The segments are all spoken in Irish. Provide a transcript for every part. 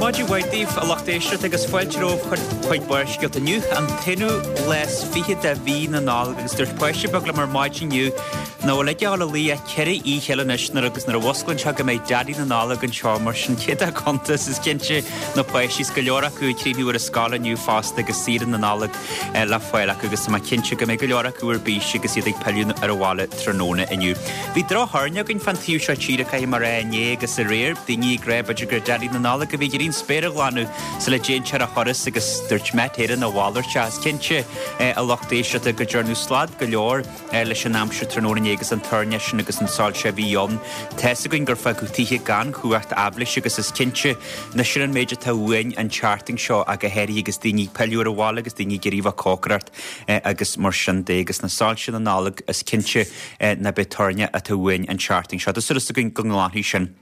Maidin mhaith daoibh, a lucht éisteachta, agus fáilte romhaibh chuig Barrscéalta inniu, an t-aonú lá is fichead de mhí na Nollag, agus dúirt páiste beag liom ar maidin inniu nach bhfuil aige a dhul a luí ach ceithre oíche eile anois nuair agus nuair a mhusclaíonn sé go mbeidh Daidí na Nollag anseo, mar sin cé dá cuntas is cinnte na páistí is go leor acu ag críochnú ar an scoil inniu fosta agus saoire na Nollag le fáil acu agus tá mé cinnte go mbeidh go leor acu ar bís agus iad ag pilleadh ar an bhaile tráthnóna inniu. Bhí droch-thoirne againn fán taobh seo tíre, caithfidh mé a rá, inné agus aréir. Daoine ag rá b'fhéidir gur Daidí na Nollag a bhí ag iarraidh an spéir a ghlanadh sula dtéann sé ar a thuras agus dúirt Met Éireann a mhalairt. Is cinnte, a lucht éisteachta, go ndearnadh slad go leor leis an aimsir tráthnóna inné agus an toirne sin agus an soilse a bhí ann. Tá's againn gur fágadh tithe gan chumhacht aibhléise agus is cinnte ná sin an méid atá uainn an tseachtain seo ach go háirithe agus daoine ag pilleadh ar an bhaile agus daoine ag iarraidh a bheith ag cócaireacht agus mar sin de agus na soilse na Nollag is cinnte ná beidh toirne atá uainn an tseachtain seo. Tá súil againn go nglanfaidh sin.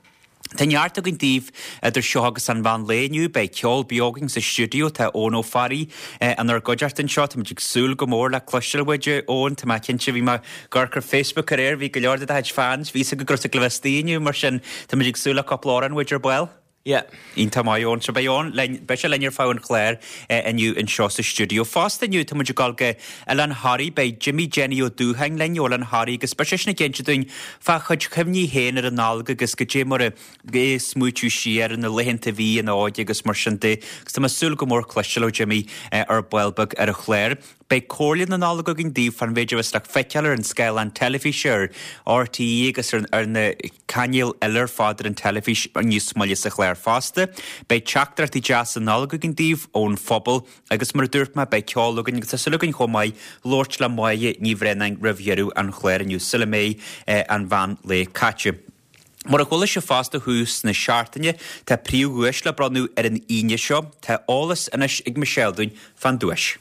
Tá neart againn daoibh idir seo agus an mheán lae inniu. Beidh ceol beo againn sa stiúideo. Tá Eoin Ó Fearraigh inár gcuideachta anseo. Táimid ag súil go mór le cloisteáil uait, a Eoin. Tá mé cinnte, bhí mé ag amharc ar Facebook aréir, bhí go leor de do chuid fans, bhí 'fhios acu go raibh tú ag gabháil a bheith istigh inniu, mar sin táimid ag súil le cúpla amhrán uait ar ball. Yeah. Iontach maith, Eoin. So beidh Eoin linn, beidh sé linn ar feadh an chláir inniu anseo sa stiúideo. Fosta inniu tá muid ag dul go Oileán Thoraí, beidh Jimmy Jenny Ó Dúcháin linn ó Oileán Thoraí agus beidh seisean ag inse dúinn fá chuid chuimhní féin ar an Nollaig agus goidé mar a ag smaoitiú siar ar na laethanta a bhí ina óige agus mar sin de. Agus tá mé ag súil go mór cloisteáil ó Jimmy ar ball beag ar an chlár. Beidh comhairle na Nollag againn daoibh fán mhéid a bheas le feiceáil ar an scáileán teilifíse ar RTÉ agus ar na cainéil eile ar fad ar an teilifís níos moille sa chlár fosta. Beidh teachtaireachtaí deasa Nollag againn daoibh ón phobal agus mar a dúirt mé beidh ceol againn agus tá súil againn chomh maith labhairt le Máire Ní Bhraonáin roimh dheireadh an chláir inniu sula mbeidh an mheán lae caite. Mar a chuala sibh fosta thús na seachtaine, tá príomhdhuais le bronnadh ar an Aoine seo. Tá eolas anois ag Michelle dúinn fán duais.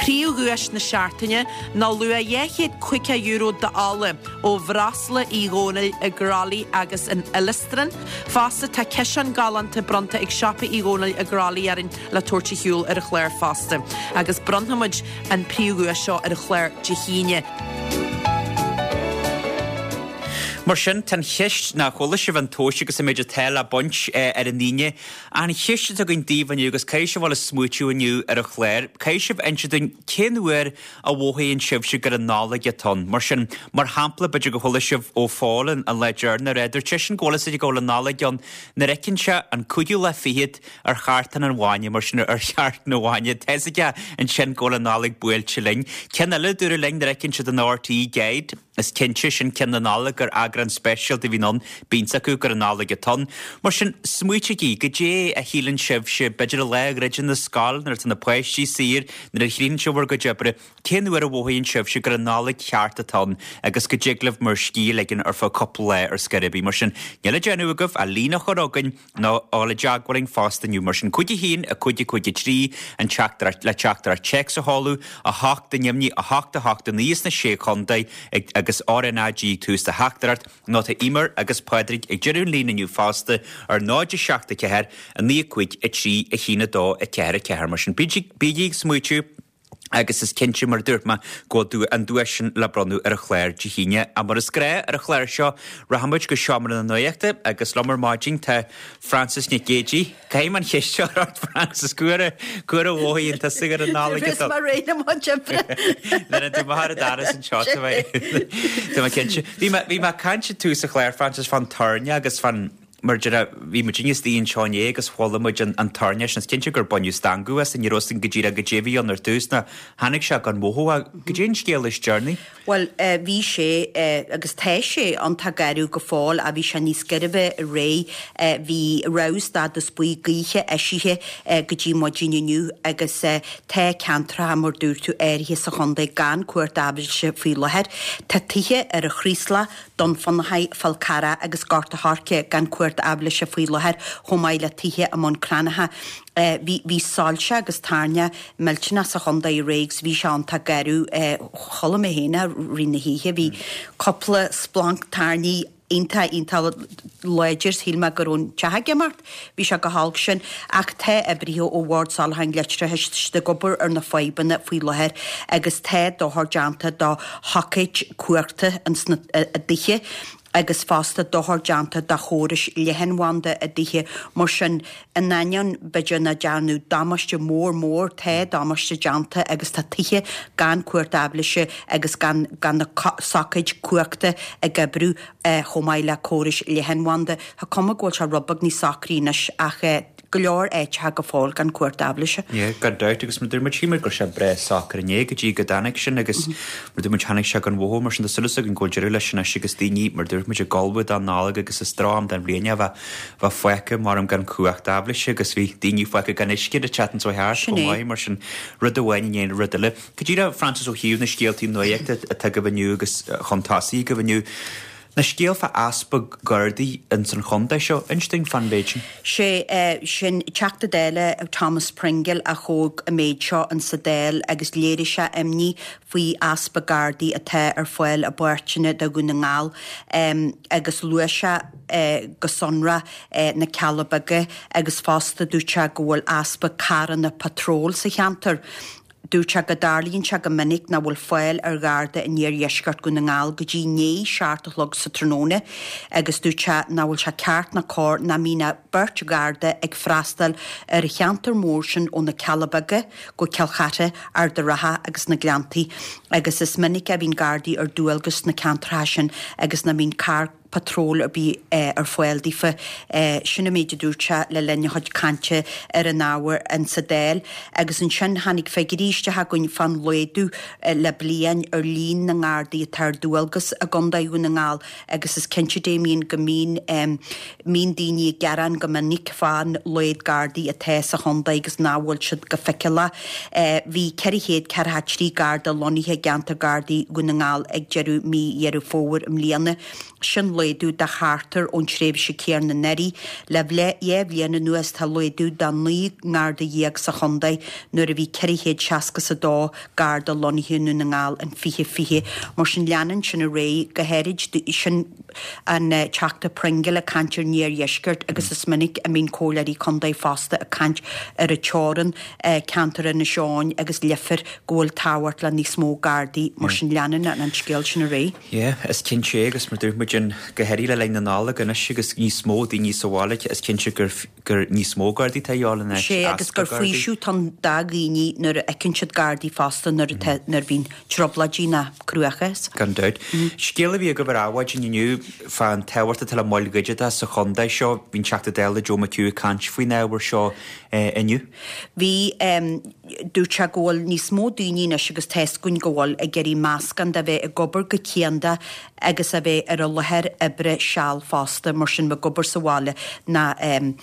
Príomhdhuais na seachtaine ná luach €250 d'ola ó Bhreosla Uí Dhónaill i gCroithlí agus in Uillestráin. Fosta tá ciseán galánta bronnta ag Siopa Uí Dhónaill i gCroithlí orainn le tabhairt ar shiúl ar an chlár fosta. Agus bronnfaimid an príomhdhuais seo ar an chlár Dé hAoine. Mar sin, tá an cheist, ná chuala sibh an tomhais agus an méid atá le baint ar an Aoine. An cheist atá againn daoibh inniu, agus caithfidh sibh a dhul ag smaoitiú inniu ar an chlár, caithfidh sibh inse dúinn cén uair a mhothaíonn sibhse gur an Nollaig atá ann. Mar sin, mar shampla, b'fhéidir gur chuala sibh ó Phól an lá deireanach, ar dúirt seisean go bhfuil fhios aige go bhfuil an Nollaig ann nuair a fheiceann sé an cúigiú lá fichead ar chartán an bhainne, mar sin ar chartán an bhainne. Tá fhios aige ansin go bhfuil an Nollaig buailte linn. Ceann eile a dúradh linn nuair a fheiceann siad an RTÉ Guide, is cinnte, sin ceann na Nollag gur eagrán speisialta a bhíonn ann, bíonn fhios acu gur an Nollaig atá ann. Mar sin, smaoitígí, goidé a shíleann sibhse, b'fhéidir an lá a dhruideann an scoil, nuair atá na páistí saor, nuair a chríochnaíonn sibh bhur gcuid oibre, cén uair a mhothaíonn sibhse gur an Nollaig cheart atá ann agus go dtig libh bhur scíth a ligean ar feadh cúpla lá ar scor ar bith. Mar sin, níl le déanamh agaibh ach líne a chur chugainn, nó a dhul i dteagmháil linn fosta inniu. Mar sin, 5 1 5 5 3 an teachtaireacht le teachtaireacht téacs a sheoladh, 8 ainmnigh 8 8 9 sna Sé Chontae ag agus RnaG ag tús do theachtaireacht, nó tá Eimear agus Pádraig ag deireadh an líne inniu fosta ar 0 7 4 9 5 3 1 2 4 4. Mar sin, bígí ag smaoitiú. Agus is cinnte, mar a dúirt mé, go bhfuil an duais sin le bronnadh ar an chlár Dé hAoine. Ach mar is gnáth ar an chlár seo, rachaimid go seomra na nuachta agus liom ar maidin tá Frances Nic Géadaigh. Caithfidh mé an cheist seo a chur ort, Frances, cá huair a, cá huair a mhothaíonn tusa gur an Nollaig atá. Is mar réidh le mo oibre. Nuair a tú mar a d'fharas anseo, tá mé, tá mé cinnte. Bhí mé, bhí mé ag caint ag tús an chláir, Frances, fán toirne agus fán, Mar a déarfá, bhí muidinne istigh anseo inné agus chuala muid an toirne sin. Is cinnte gur baineadh stangadh as, ní raibh fhios againn go díreach goidé a bhí ann ar dtús ná tháinig sé gan mhothú. Goidé an scéal is deireanaí? Bhuel, bhí sé, agus tá sé, iontach garbh go fóill ach bhí sé níos gairbhe aréir. Bhí rabhadh stádas buí gaoithe eisithe go dtí maidin inniu agus tá ceantracha, mar dúirt tú, áirithe sa chontae gan cumhacht aibhléise faoi láthair. Tá tithe ar an Chraoslach, Dún Fionnachaidh, Fál Carrach agus Gort a' Choirce gan cumhacht aibhléise faoi láthair, chomh maith le tithe i mBun Cranncha. Bhí bhí soilse agus toirneach millteanach sa chontae aréir agus bhí sé iontach garbh. Chuala mé féin é i rith na hoíche. Bhí cúpla splanc toirní iontach iontach láidir. Shíl mé go raibh an teach ag imeacht. Bhí sé chomh holc sin. Ach tá oibrithe ó Bhord Soláthair an Leictreachais, tá siad ag obair ar na fadhbanna faoi láthair agus tá dochar déanta do shoicéid cumhachta ins na dtithe. Agus fosta dochar déanta do chórais leathanbhanda i dtithe. Mar sin, in ainneoin b'fhéidir nach dearnadh damáiste mór mór, tá damáiste déanta agus tá tithe gan cumhacht aibhléise agus gan gan na socaid cumhachta ag oibriú chomh maith le córais leathanbhanda. Tá cuma go bhfuil sé rud beag níos socraí anois ach go leor áiteacha go fóill gan cumhacht aibhléise. Yeah, gan dabht agus mar dúirt muid, shíl muid go raibh sé breá socair inné go dtí go dtáinig sin agus mar dúirt muid tháinig sé gan mhothú mar sin tá súil againn go bhfuil deireadh leis anois agus daoine mar dúirt muid ag ullmhú don Nollaig agus is droch-am den bhliain é a bheith bheith fágtha maram gan cumhacht aibhléise agus bhí daoine fágtha gan uisce an tseachtain seo thart chomh maith mar sin rud amháin i ndiaidh an rud eile. Go díreach Frances ó thaobh na scéaltaí nuachta atá agaibh inniu agus chun tosaigh agaibh inniu, na scéal fá easpa Gardaí ins an chontae seo, inis dúinn fán mhéid sin. Sé sin Teachta Dála Thomas Pringle a thóg an méid seo in sa Dáil agus léirigh sé imní faoi easpa Gardaí atá ar fáil i bpáirteanna de Dhún na nGall agus luaigh sé go sonrath na Cealla Beaga agus fosta dúirt sé go bhfuil easpa carranna patróil sa cheantar. Dúirt sé go dtarlaíonn sé go minic nach bhfuil fáil ar Gharda in iardheisceart Dhún na nGall go dtí i ndiaidh 7 a chlog sa tráthnóna agus dúirt sé nach bhfuil sé ceart ná cóir nach mbíonn ach beirt Gharda ag freastal ar an cheantar mór sin ó na Cealla Beaga go Cill Chartha, Ard a' Rátha agus na Gleanntaí agus is minic a bhíonn Gardaí ar dualgas sna ceantracha sin agus nach mbíonn carr patróil ar bith ar fáil daofa. Sin an méid a dúirt sé le linn a chuid cainte ar an ábhar insa Dáil. Agus ansin tháinig figiúirí isteach againn fán laghdú le bliain ar líon na nGardaí atá ar dualgas i gContae Dhún na nGall agus is cinnte Damien go mbíonn mbíonn daoine ag gearán go minic fán laghad Gardaí atá sa chontae agus nach bhfuil siad go feiceálach. Bhí 443 Garda lonnaithe i gceantar Gardaí Dhún na nGall ag deireadh mí Dheireadh Fómhair i mbliana. Sin laghdú de cheartar ón tréimhse céanna anuraidh. Le 2 bhliain anuas tá laghdú de 19 nGarda sa chontae nuair a bhí 462 Garda lonnaithe i nDún na nGall in 2020. Mar sin leanann sin ar aghaidh, go háirid sin an Teachta Pringle ag caint ar an iardheisceart agus is minic a mbíonn comhairleoirí contae fosta ag caint ar an teorainn, ceantar Inis Eoghain agus Leifear go bhfuil tábhacht le níos mó Gardaí. Mar sin leanann an scéal sin ar aghaidh. Yeah, is cinnte é agus mar dúirt muid an, go háirithe le linn na Nollag anois agus níos mó daoine sa bhaile, is cinnte gur, gur níos mó Gardaí atá a dhíobháil in áit Sé agus easpa gur Gardaí. faoiseamh atá ann do dhaoine nuair a fheiceann siad Gardaí fosta nuair atá, nuair a bhíonn trioblóidí ná cruachás. Gan dabht. Scéal a bhí agaibh ar Adhmhaidin inniu fán tábhacht atá le moil dhigiteacha sa chontae seo. Bhí an Teachta Dála Joe McHugh ag caint faoin ábhar seo inniu. Bhí, dúirt sé go bhfuil níos mó daoine anois agus tá 'fhios againn go bhfuil, ag iarraidh meascán de bheith ag obair go cianda agus a bheith ar an láthair oibre seal fosta, mar sin bheith ag obair sa bhaile ná in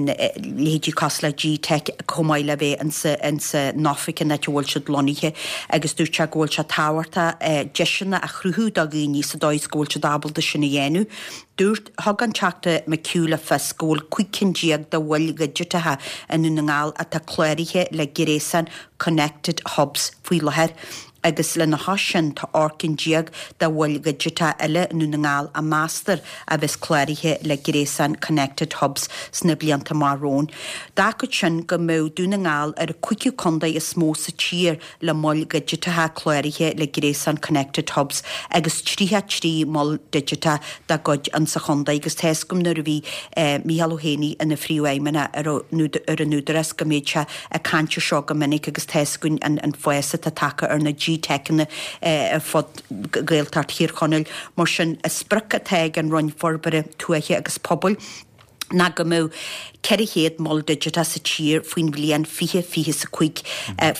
leithéidí cosúil le Gteic chomh maith le bheith insa insa n-oifig an áit a bhfuil siad lonnaithe agus dúirt sé go bhfuil sé tábhachtach deiseanna a chruthú do dhaoine sa dóigh is go bhfuil siad ábalta sin a dhéanamh. Dúirt, thug an Teachta McHugh le fios go bhfuil 15 cinn de mhoil dhigiteacha i nDún na nGall atá cláraithe le gréasán Connected Hubs faoi láthair agus lena chois sin tá 18 cinn de mhoil dhigiteacha eile i nDún na nGall a meastar a bheas cláraithe le gréasán Connected Hubs sna blianta amach romhainn. D'fhágfadh sin go mbeadh Dún na nGall ar an cúigiú contae is mó sa tír le moil dhigiteacha cláraithe le gréasán Connected Hubs agus 33 mol digiteach dá gcuid insa chontae agus tá 'fhios agam nuair a bhí Micheál Ó hÉanaí ina phríomhfheidhmeannach ar an Údarás go mbíodh sé ag caint ar seo go minic agus tá 'fhios againn an fás atá tagtha ar na GTeiceanna ar fud Ghaeltacht Thír Chonaill. Mar sin, an sprioc atá ag an Roinn Forbartha Tuaithe agus Pobail, ná go mbeadh 400 mol digiteach sa tír faoin bhliain 2025.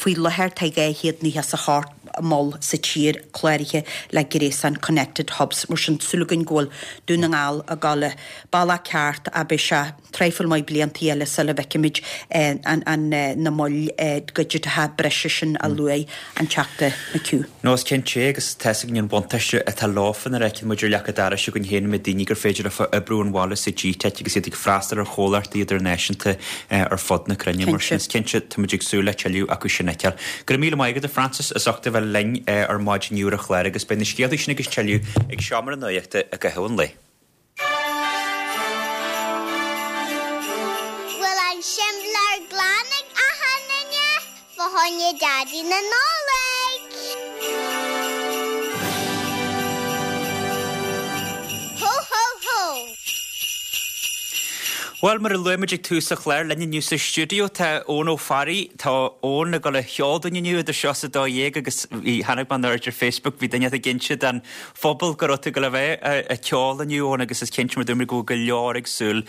Faoi láthair tá 298 mol sa tír cláraithe le gréasán Connected Hubs. Mar sin, súil againn go bhfuil Dún na nGall ag dul an bealach ceart ach beidh sé traidhfil maith blianta eile sula bhfeicfimid na moil dhigiteacha breise sin a luaigh an Teachta McHugh. No, is cinnte é, agus tá 'fhios againn an buntáiste atá leofa nuair a fheiceann muid ar leac an dorais againn féin na daoine gur féidir leofa oibriú ón bhaile sa Gteic agus iad ag freastal ar chomhlachtaí idirnáisiúnta ar fud na cruinne. Mar sin, is cinnte, tá muid ag súil le tuilleadh acu sin a fheiceáil. Go raibh míle maith agat, a Frances, as ucht a bheith linn ar maidin inniu ar an chlár agus beidh na scéalta sin agus tuilleadh ag Seomra na Nuachta i gcaitheamh an lae. Bhfuil an simléar glan ag achan duine fá choinne Daidí na Nollag? Bhuel, mar a luaigh muid ag tús an chláir, linn inniu sa stiúideo tá Eoin Ó Fearraigh. Tá Eoin ag dul a cheol dúinn inniu idir seo is 12 agus bhí, chonaic mé an ar Facebook, bhí duine ag inse don phobal go raibh tú ag dul a bheith ag ceol inniu, Eoin, agus is cinnte mar dúirt mé go bhfuil go leor ag súil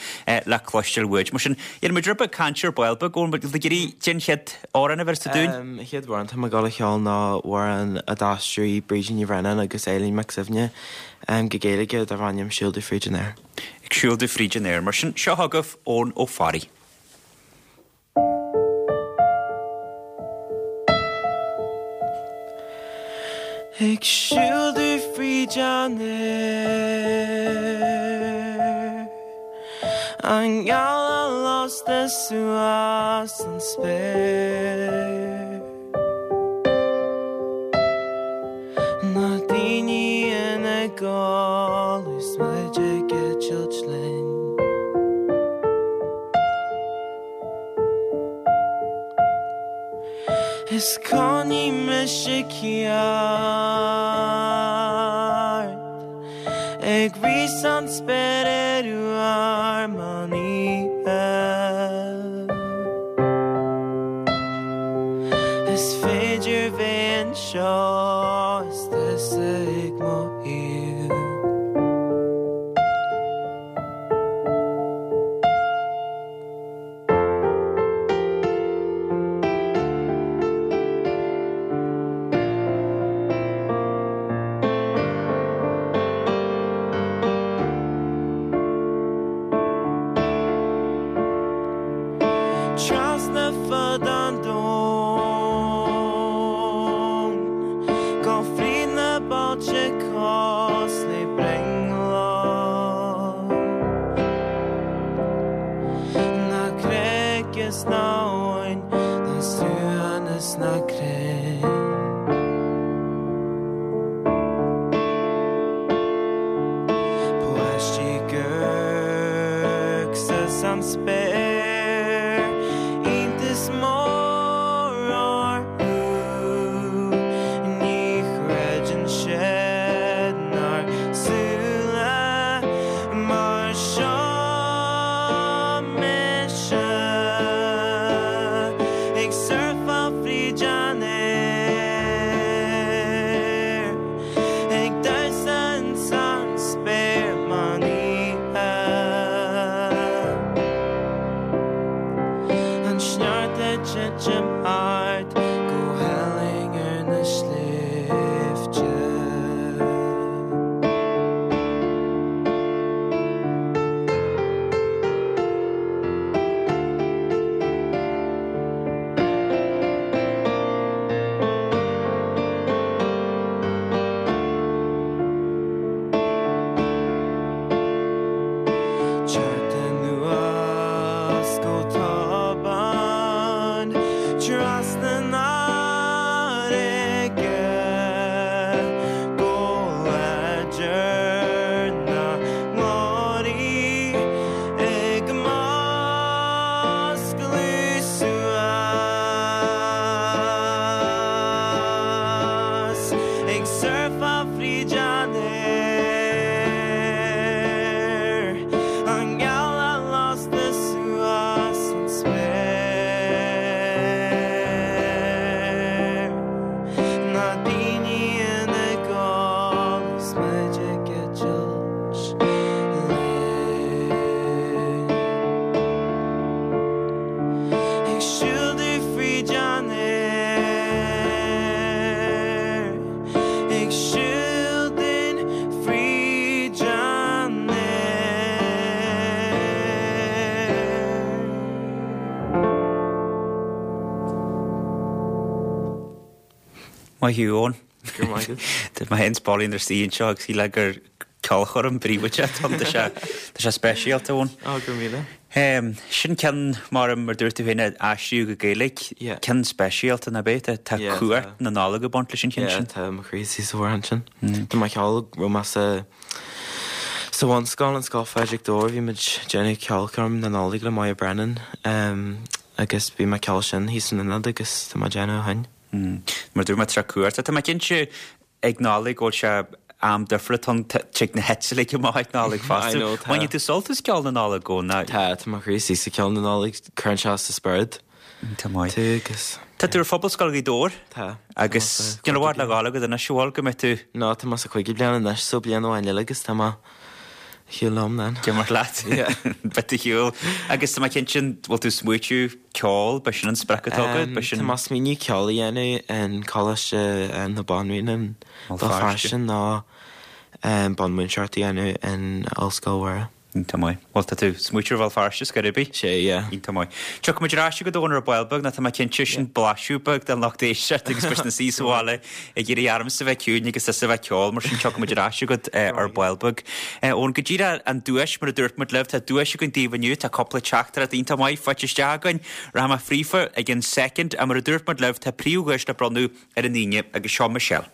le cloisteáil uait. Mar sin, dhéanfaidh muid rud beag cainte ar ball beag, Eoin, bhfuil tú ag iarraidh cén chéad amhrán a bheireas tú dúinn? An chéad amhrán atá mé ag dul a cheol ná amhrán a d'aistrigh Brídín Ní Bhraonáin agus Eileen Mac Suibhne go Gaeilge darb ainm Siúl Domh Fríd an Aer. Ag siúl domh fríd an aer. Mar sin, seo chugaibh Eoin Ó Fearraigh. Ag siúl domh fríd an aer, An gealach lasta suas an spéir. Na daoine ina gcodladh is muid ag eitilt linn. Is coinnigh mise ceart. Ag rith san spéir ar uair meán oíche. Is féidir bheith anseo is tusa ag mo thaobh. Trasna fud an domhain, Go fríd na bailte cos le brionglóid. Na cnoic is na abhainn, na srutháin is na crainn. Páistí ag amharc suas an spéir, iontas mór orthu, ní chreideann siad 'nár súile mar seo mise ag surfáil fríd an aer, ag damhsa ins an spéir meán oíche. An sneachta ag titim thart go hálainn ar na sléibhte. Teacht anuas go tobann trasna na farraige go láidir na nglóirí ag muscladh suas ag surfáil fríd an aer an gealach lasta suas an spéir na daoine ina gcodladh is muid ag eitilt linn. Ag siúl domh fríd an aer, ag siúl dúinn fríd an aer. Maith thú, Eoin. Go raibh maith agat. Tá mé féin 's Pauline inár suí anseo agus shílfeá gur ceolchoirm príobháideach atá ann. Tá sé, tá sé speisialta, Eoin. Ó, go raibh míle. Sin ceann, mar mar dúirt tú féin, a aistríodh go Gaeilge. Yeah. Ceann speisialta, nach ea? Tá, tá Yeah, cumhacht tá. na Nollag ag baint leis an cheann Yeah, sin. tá mo chroí istigh sa amhrán sin. Tá mé ag ceol, raibh mé sa, sa bhunscoil, an Scoil Phádraig Dobhair, bhí muid ag déanamh ceolchoirm na Nollag le Moya Brennan, agus bhí mé ag ceol sin thíos san ionad agus tá mé ag déanamh ó shin. Mar dúirt mé tá cumhacht. Tá mé cinnte ag Nollaig go bhfuil sé. am difriúil atá ann, tig na heiteallaigh amach ag Nollaig fosta. I know, tá. Baineann tú sult as ceol na Nollag ó ná? Tá, tá mo chroí istigh sa cheol na Nollag, cuireann sé sa spiorad Tá maith. tú agus. Tá tú ar Phobalscoil Ghaoth Dobhair? Tá. Agus níl i bhfad le dhul agat anois, an bhfuil, go mbeidh tú. No, tá mé sa chúigiú bliain anois, so bliain amháin eile agus tá mé ar shiúl liom then. D'imir leat. Yeah. Beidh tú ar shiúl. Agus tá mé cinnte, an bhfuil tú ag smaoitiú ceol, b'é sin an sprioc atá agat, b'é sin. Tá mé ag smaoineamh ceol a dhéanamh in Coláiste na Banríona i Béal Feirste nó bunmhúinteoireacht a dhéanamh in Ollscoil Mhuire. Iontach maith. Bhuel, tá tú ag smaoitiú ar Bhéal Feirste, scor ar bith. Sea, yeah. Iontach maith. Tiocfaidh muid ar ais chugat Eoin ar ball beag nó tá mé cinnte sin blaiseadh beag den lucht éisteachta agus beidh siad ina suí sa bhaile ag iarraidh ormsa a bheith ciúin agus tusa a bheith ag ceol, mar sin tiocfaidh muid ar ais chugat ar ball beag. Eoin, go díreach an duais, mar a dúirt muid libh, tá duais againn daoibh inniu, tá cúpla teachtaireacht iontach maith faighte isteach againn. Rachaidh mé fríofa i gcionn soicind ach mar a dúirt muid libh, tá príomhdhuais le bronnadh ar an Aoine agus seo Michelle.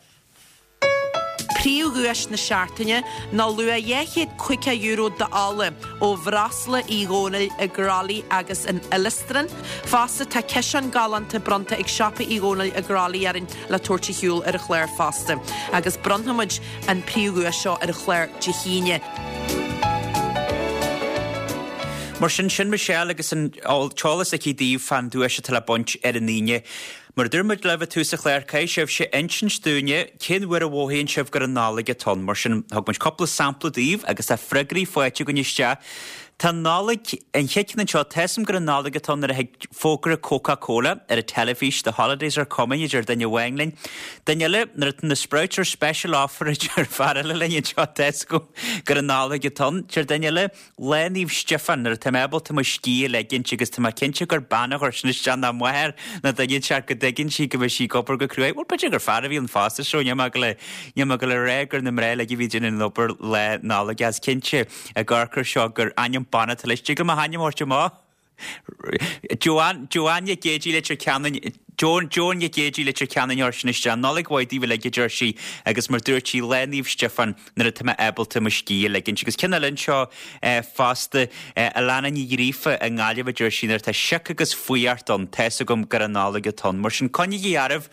Príomhdhuais na seachtaine ná luach €250 d'ola ó Bhreosla Uí Dhónaill i gCroithlí agus in Uillestráin. Fosta tá ciseán galánta bronnta ag Siopa Uí Dhónaill i gCroithlí orainn le tabhairt ar shiúl ar an chlár fosta. Agus bronnfaimid an príomhdhuais seo ar an chlár Dé hAoine. Mar sin, sin Michelle agus an t-eolas aici daoibh fán duais atá le baint ar an Aoine. Mar a dúirt muid libh ag tús an chláir, caithfidh sibhse insint dúinne cén uair a mhothaíonn sibh gur an Nollaig atá ann. Mar sin, thug muid cúpla sampla daoibh agus tá freagraí faighte againn isteach. Tá an Nollaig, an chéad cheann anseo, tá 'fhios a'm gur an Nollaig atá ann nuair a thig fógra Coca Cola ar an teilifís, The holidays are coming, a deir duine amháin linn. Duine eile, nuair atá na Sprouts ar special offer, a deir fear eile linn anseo, tá 'fhios agam gur an Nollaig atá ann. Deir duine eile, Lá Naomh Stiofán, nuair atá mé ábalta mo scíth a leigint agus tá mé cinnte gur bean a chuir sin isteach ná máthair ná duine inteacht go dtuigeann sí go mbeidh sí ag obair go cruaidh. Bhuel, b'fhéidir gur fear a bhí ann fosta so níl mé ag goil níl mé ag goil a rá gur na mná uilig a bhí ag déanamh an obair Lá Nollag is cinnte ag amharc air seo gur ainm ban atá leis. Dtig liom a hainm a thabhairt amach? Joanne, Joanne Nic Géidigh Leitir Ceanainn, Joan, Joan Nic Géidigh Leitir Ceanainn a chuir sin isteach. Nollaig mhaith daoibh uilig, a deir sí, agus mar dúirt sí, Lá Naomh Stiofán nuair atá mé ábalta mo scíth a ligint. Agus ceann eile anseo fosta, Alana Ní Ghríofa i nGaillimh a deir sí, nuair atá sioc agus fuireacht ann, tá's agam gur an Nollaig atá ann. Mar sin, coinnígí oraibh.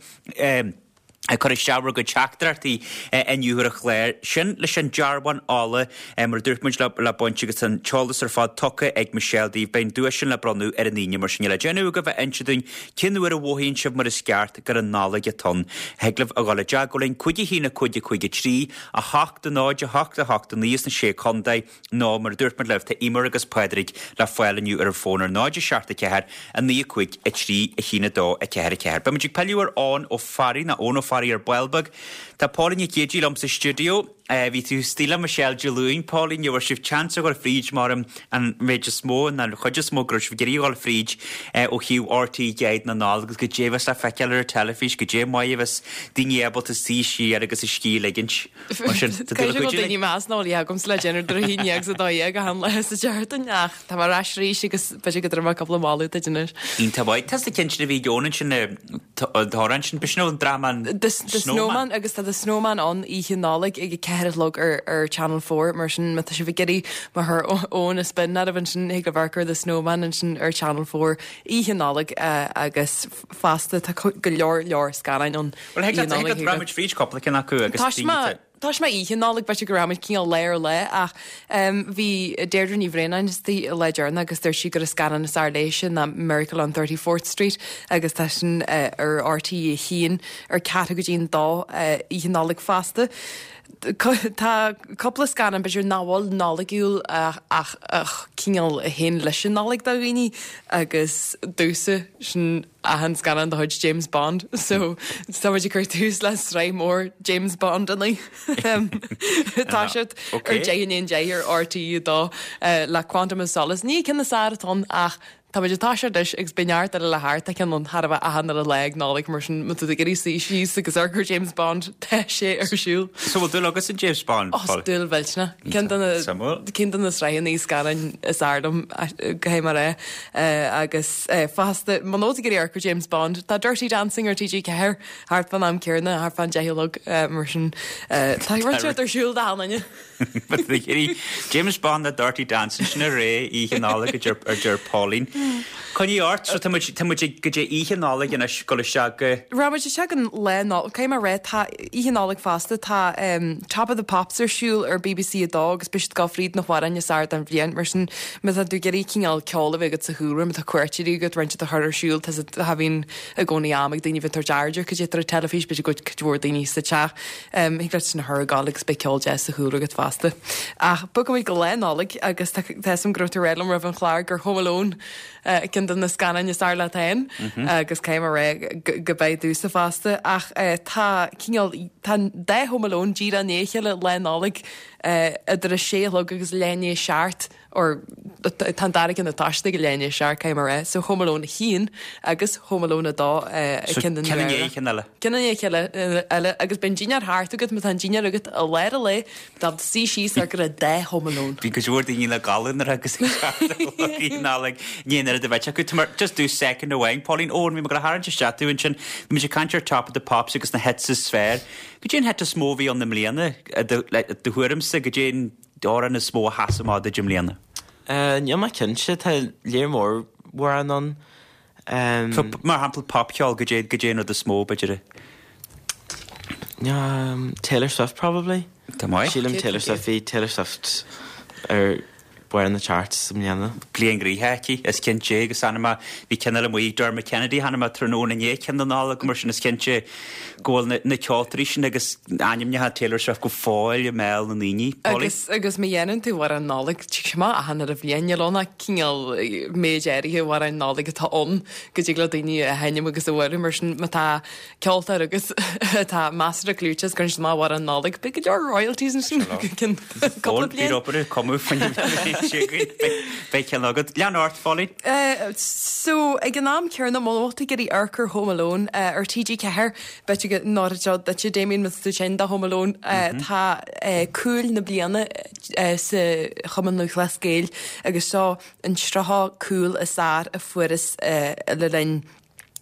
ag cur isteach bhur gcuid teachtaireachtaí inniu ar an chlár. Sin leis an dearbhán ola, mar a dúirt muid, le baint agus an t-eolas ar fad tugtha ag Michelle daoibh. Beidh an duais sin le bronnadh ar an Aoine, mar sin níl le déanamh agaibh ach inse dúinn cén uair a mhothaíonn sibh mar is ceart gur an Nollaig atá ann. Thig libh a dhul i dteagmháil linn, 5 1 5 5 3 8 0 8 8 9 sna Sé Contae. Nó, mar a dúirt muid libh, tá Eimear agus Pádraig le fáil inniu ar an bhfón ar 0 7 4 9 5 3 1 2 4 4. Beidh muid ag pilleadh ar Eoin Ó Fearraigh, nó Eoin Ó Fearraigh ar ball beag. Tá Póilín Nic Géidigh liom sa stiúideo. Bhí tú istigh le Michelle Dé Luain, Póilín, ní raibh sibh chance a dhul fríd mar an méid is mó, nó an chuid is mó go raibh sibh ag iarraidh a dhul fríd ó thaobh RTÉ Guide na Nollag agus goidé a bheas le feiceáil ar an teilifís, goidé maith a bheas daoine ábalta suí siar agus a scíth a ligint. Mar sin, tá tú le Caithfidh go cuidiú bhfuil daoine linn. ag meas nach bhfuil a dhath agamsa le déanamh idir 11 agus 12 achan lá sa tseachtain ach tá mé ar ais arís agus b'fhéidir go dtabharfaidh mé cúpla moladh duit anois. Iontach maith. Tá na cinn sin a bhí ag Eoin ansin, an t-amhrán sin, b'shin ón dráma an The The Snowman agus tá The Snowman ann oíche Nollag ag a 4 a chlog ar ar Channel 4 mar sin má tá sibh ag iarraidh má chuir Eoin a spin oraibh ansin thig libh amharc ar The Snowman ansin ar Channel 4 oíche Nollag agus fosta tá go leor leor scannáin ann. Bhuel, thig leat, thig leat, rachaidh muid fríd cúpla ceann acu agus Tá mé, tá mé oíche Nollag, b'fhéidir go rachaidh muid cineál lá ar lá ach bhí Deirdre Ní Bhraonáin istigh an lá deireanach agus dúirt sí gur an scannán is fhearr léise ná Miracle on 34th Street agus tá sin ar RTÉ 1 ar ceathrú go dtí an dó oíche Nollag fosta. Tá cúpla scannán b'fhéidir nach bhfuil Nollaigiúil ach cineál a théann leis an Nollaig do dhaoine agus domhsa sin achan scannán de chuid James Bond so tá muid ag cur tús le sraith mór James Bond inniu. Tá siad ar 10 i ndiaidh a 10 ar RTÉ 2 le Quantum of Solace. Ní ceann is fearr atá ann ach tá muid ag toiseacht leis agus beidh neart eile le theacht. Tá ceann ann chóir a bheith achan uile lá ag Nollaig mar sin má tá tú ag iarraidh suí síos agus amharc ar James Bond tá sé ar siúl. So bhfuil dúil agat in James Bond? Ó, dúil mhillteanach. Ceann de na ceann de na sraitheanna scannáin is fhearr liom caithfidh mé a rá. Agus fosta, muna bhfuil tú ag iarraidh amharc ar James Bond, tá Dirty Dancing ar TG4 thart fán am céanna, thart fán 10 a chlog, mar sin tá rud inteacht ar siúl d'achan duine. James Bond nó Dirty Dancing, sin a ré oíche Nollag a deir Pauline. Coinnigh ort, so tá muid, tá muid ag, go dtí oíche Nollag anois, dul isteach go. Rachaidh muid isteach an lá Nollag, caithfidh mé a rá, tá oíche Nollag fosta, tá Top of the Pops ar siúl ar BBC 2 agus beidh siad ag dul fríd na hamhráin is fhearr den bhliain, mar sin má tá tú ag iarraidh cineál ceol a bheith agat sa chúlra, má tá cuairteoirí agat, roinnt de chur ar siúl, tá tá bhíonn i gcónaí am ag daoine bheith ag tabhairt aird ar cad é atá ar an teilifís, b'fhéidir go bhfuil cuid mhór daoine sa teach, thig leat sin a chur ag gabháil agus beidh ceol deas sa chúlra agat fosta. Ach bogfaimid go Lá Nollag agus tá tá 'fhios a'm go raibh tú ag rá liom roimh an chlár gur Home Alone ceann de na scannáin is fearr leat féin agus caithfidh mé a rá go b'é domhsa fosta. Ach tá cineál, tá an dá Home Alone díreach i ndiaidh a chéile Lá Nollag idir a sé a chlog agus leath i ndiaidh a seacht. or tá an dara ceann ag toiseacht ag a leath i ndiaidh a seacht, caithfidh mé a rá. So Home Alone 1 agus Home Alone 2 So ceann den ceann i ndiaidh a chéile eile. Ceann i ndiaidh a chéile eile agus beidh an dinnéar thart agat, má tá an dinnéar agat i lár an lae, tá tú suí síos ar go raibh dá Home Alone. Bhí cuid mhór daoine le gabháil nuair agus ag teacht a chlog Oíche Nollag ní an oiread a bheith acu. Tá mar just do second amháin, Pauline Eoin, bhí mé ag gabháil a tharraingt isteach tú ansin. Bhí muid ag caint ar Top of the Pops agus na hits is fearr. Cad é an hit is mó a bhí ann i mbliana, i do thuairimse, cad é an amhrán is mó a sheas amach duit i mbliana? Níl mé cinnte, tá léar mór amhrán ann. So, mar shampla popcheol, cad é, cad é an rud is mó, b'fhéidir? Taylor Swift probably. Tá maith. Sílim Taylor Swift, bhí Taylor Swift ar barr na charts i mbliana. Bliain ghnoitheach aici, is cinnte, agus chonaic mé, bhí ceann eile amuigh ag Dermot Kennedy, chonaic mé tráthnóna inné, ceann na Nollag, mar sin is cinnte go bhfuil na ceoltóirí sin agus ainmneacha Taylor Swift go fóill i mbéal na ndaoine. Polly? Agus, agus má dhéanann tú amhrán Nollag, tig sé amach achan uile bhliain, níl ann ach cineál méid áirithe amhráin Nollag atá ann go dtig le daoine a sheinm agus a bhualadh, mar sin má tá ceoltóir agat atá measartha clúiteach is cuireann siad amach amhrán Nollag, beidh go leor royalties ansin go ceann cúpla bliain. Bíonn obair ag cumadh faoin Beidh ceann agat. Lean ort, Pholly. So, ag an am céanna, muna bhfuil tú ag iarraidh amharc ar Home Alone ar TG4, b'fhéidir go n-oirfeadh seo duitse, Damien, má tá tú tinn do Home Alone, tá cúil na bliana sa Chumann Lúthchleas Gael agus seo an 30 cúl is fearr a fuarthas le linn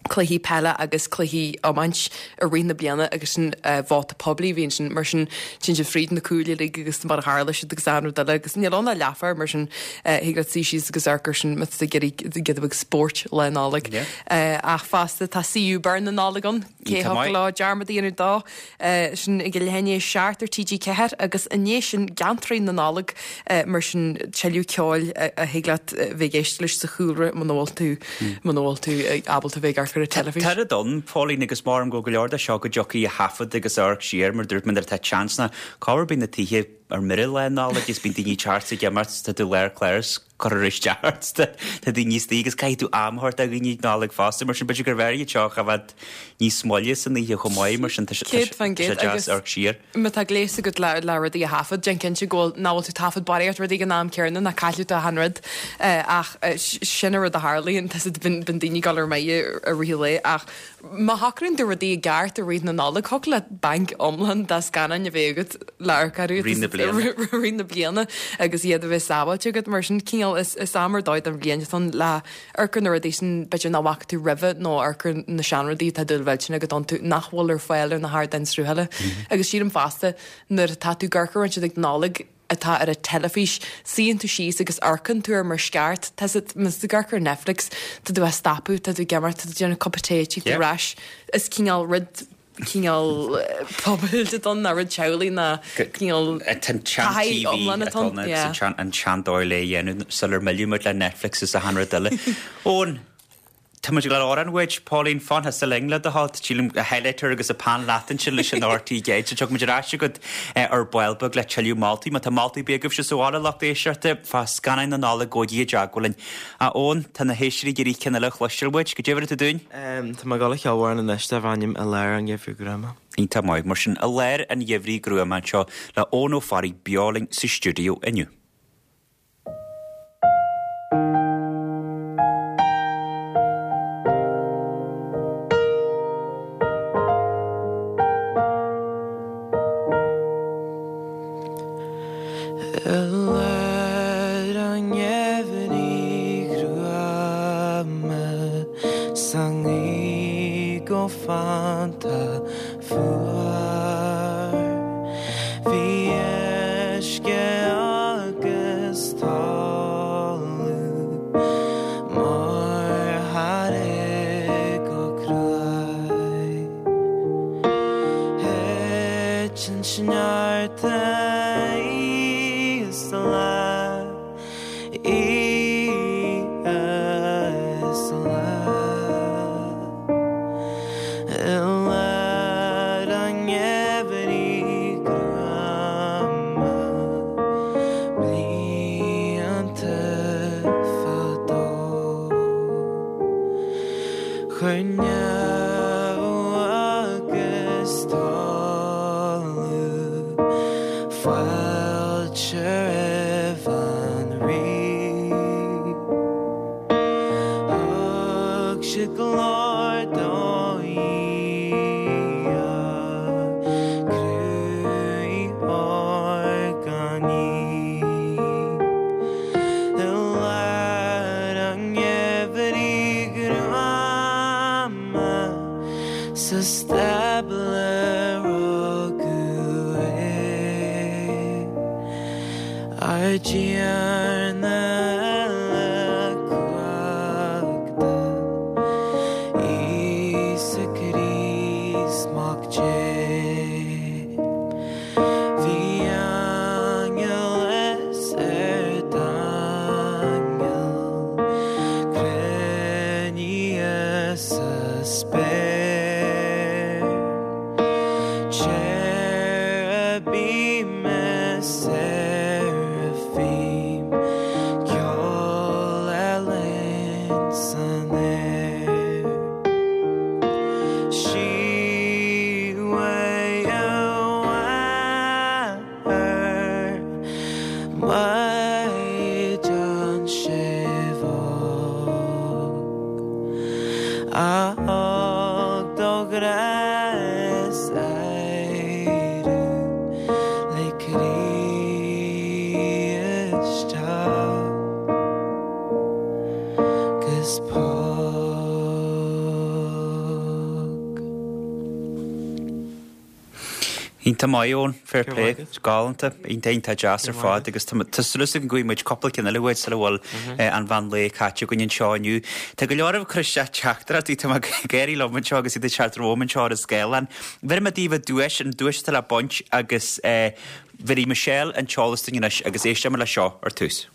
cluichí peile agus cluichí iomáint i rith na bliana agus sin vóta poiblí a bhí ansin mar sin téann siad fríd na cúil uilig agus mar a tharla siad agus achan rud eile agus níl ann ach leathuair mar sin thig leat suí síos agus amharc air sin má tá tú ag iarraidh giota beag spóirt Lá Nollag. Ach fosta tá CU Burn na Nollag ann, cé a thiocfadh leo dearmad a dhéanamh dó. Sin ag a leath i ndiaidh a 7 ar TG4 agus i ndiaidh sin Geantraí na Nollag mar sin tuilleadh ceoil a thig leat bheith ag éisteacht leis sa chúlra muna bhfuil tú muna bhfuil tú ábalta bheith ag amharc ar an teilifís. Tá rud ann, Pauline, agus maram go go leor de seo go dtiocfaidh a thaifead agus a amharc siar mar dúirt mé nuair atá seans ná corruair bíonn na tithe ar mire Lá Nollag agus bíonn daoine ag teacht ag imeacht tá tú lár cláir cuirfear isteach ort tá daoine istigh agus caithfidh tú am a thabhairt do dhaoine ag Nollaig fosta mar sin b'fhéidir gurbh fhearr iad seo a choimhéad níos moille san oíche chomh maith mar sin tá sé 100% deas agus amharc siar. Má tá gléas agat le le rudaí a thaifead, déan cinnte go bhfuil nach bhfuil tú ag taifead barraíocht rudaí ag an am céanna ná caillfidh tú achan rud ach sin an rud a tharlaíonn tá bíonn daoine ag dul ar mire i rith an lae ach Má shocraíonn tú rudaí i gceart i rith na Nollag, thiocfadh leat banc iomlán de scannáin a bheith agat le amharc orthu Rith na bliana. rith na bliana agus iad a bheith sábháilte agat. Mar sin, cineál, is is am ar dóigh den bhliain atá ann le amharc ar na rudaí sin b'fhéidir nach bhfaca tú roimhe nó amharc ar na seanrudaí atá dúil mhillteanach agat iontu nach bhfuil ar fáil ar na hardáin sruthaithe. Agus sílim fosta nuair atá tú ag amharc ar rud ag Nollaig, atá ar an teilifís, suíonn tú síos agus amharcann tú air mar is ceart. Tá sé, má tá tú ag amharc ar Netflix, tá tú á stopadh, tá tú ag imeacht, tá tú ag déanamh cupa tae, tig tú ar ais. Is cineál rud, cineál pobail atá ann, ná rud teaghlaigh ná cineál Tá an taithí sean-TV iomlán atá atá ann. ann agus an sean, an sean-dóigh le é a dhéanamh sular milleadh muid le Netflix is achan rud eile. Eoin, Tá muid ag dul amhrán uait, Pauline, fan thusa linn le do thoil. Sílim a highlighter agus a peann leat ansin leis an RT Guide. So tiocfaidh muid ar ais agat ar ball beag le tuilleadh moltaí. Má tá moltaí ar bith agaibhse sa bhaile, lucht éisteachta, fá scannáin na Nollag, gabhaigí i dteagmháil linn. A Eoin, tá na héisteoirí ag iarraidh ceann eile a chloisteáil uait. Goidé a bhéarfaidh tú dúinn? Tá mé ag dul a cheol amhrán anois darb ainm I Lár an Gheimhridh Ghruama. Iontach maith. Mar sin, I Lár an Gheimhridh Ghruama anseo le Eoin Ó Fearraigh beo linn sa stiúideo inniu. I lár an gheimhridh ghruama 's an ngaoth go fanta fuar. Bhí uisce agus talamh mar. Titeann sneachta oíche is lá, oíche is lá. I lár an gheimhridh ghruama, blianta fadó. Chuir neamh agus talamh fáilte roimh an Rí. Thug siad glóir do Dhia, cruthaítheoir gan ní. I lár an gheimhridh ghruama sa stábla rugadh é. Ár dTiarna uilechumhachtach, Íosa Críost, Mac Dé. Bhí aingeal is ardaingeal cruinnithe sa spéir, Cherubim is Seraphim, ceol álainn san aer. Sí uaidh a mháthair, Maighdean séimh óg, a thug dó grá is adhradh le Críost teacht 'gus póg. Iontach maith, Eoin. Fair play. Galánta. Iontach, iontach deas ar fad agus tá súil agam go bhfaighidh muid cúpla ceann eile uait sula bhfuil an mheán lae caite againn anseo inniu. Tá go leor ag cur isteach teachtaireachtaí, tá mé ag gáirí liom anseo agus iad ag teacht romham anseo ar an scáileán. Bhéarfaidh mé daoibh an duais, an duais atá le baint agus bhéarfaidh Michelle an t-eolas dúinn anois agus éistfidh muid leis seo ar tús.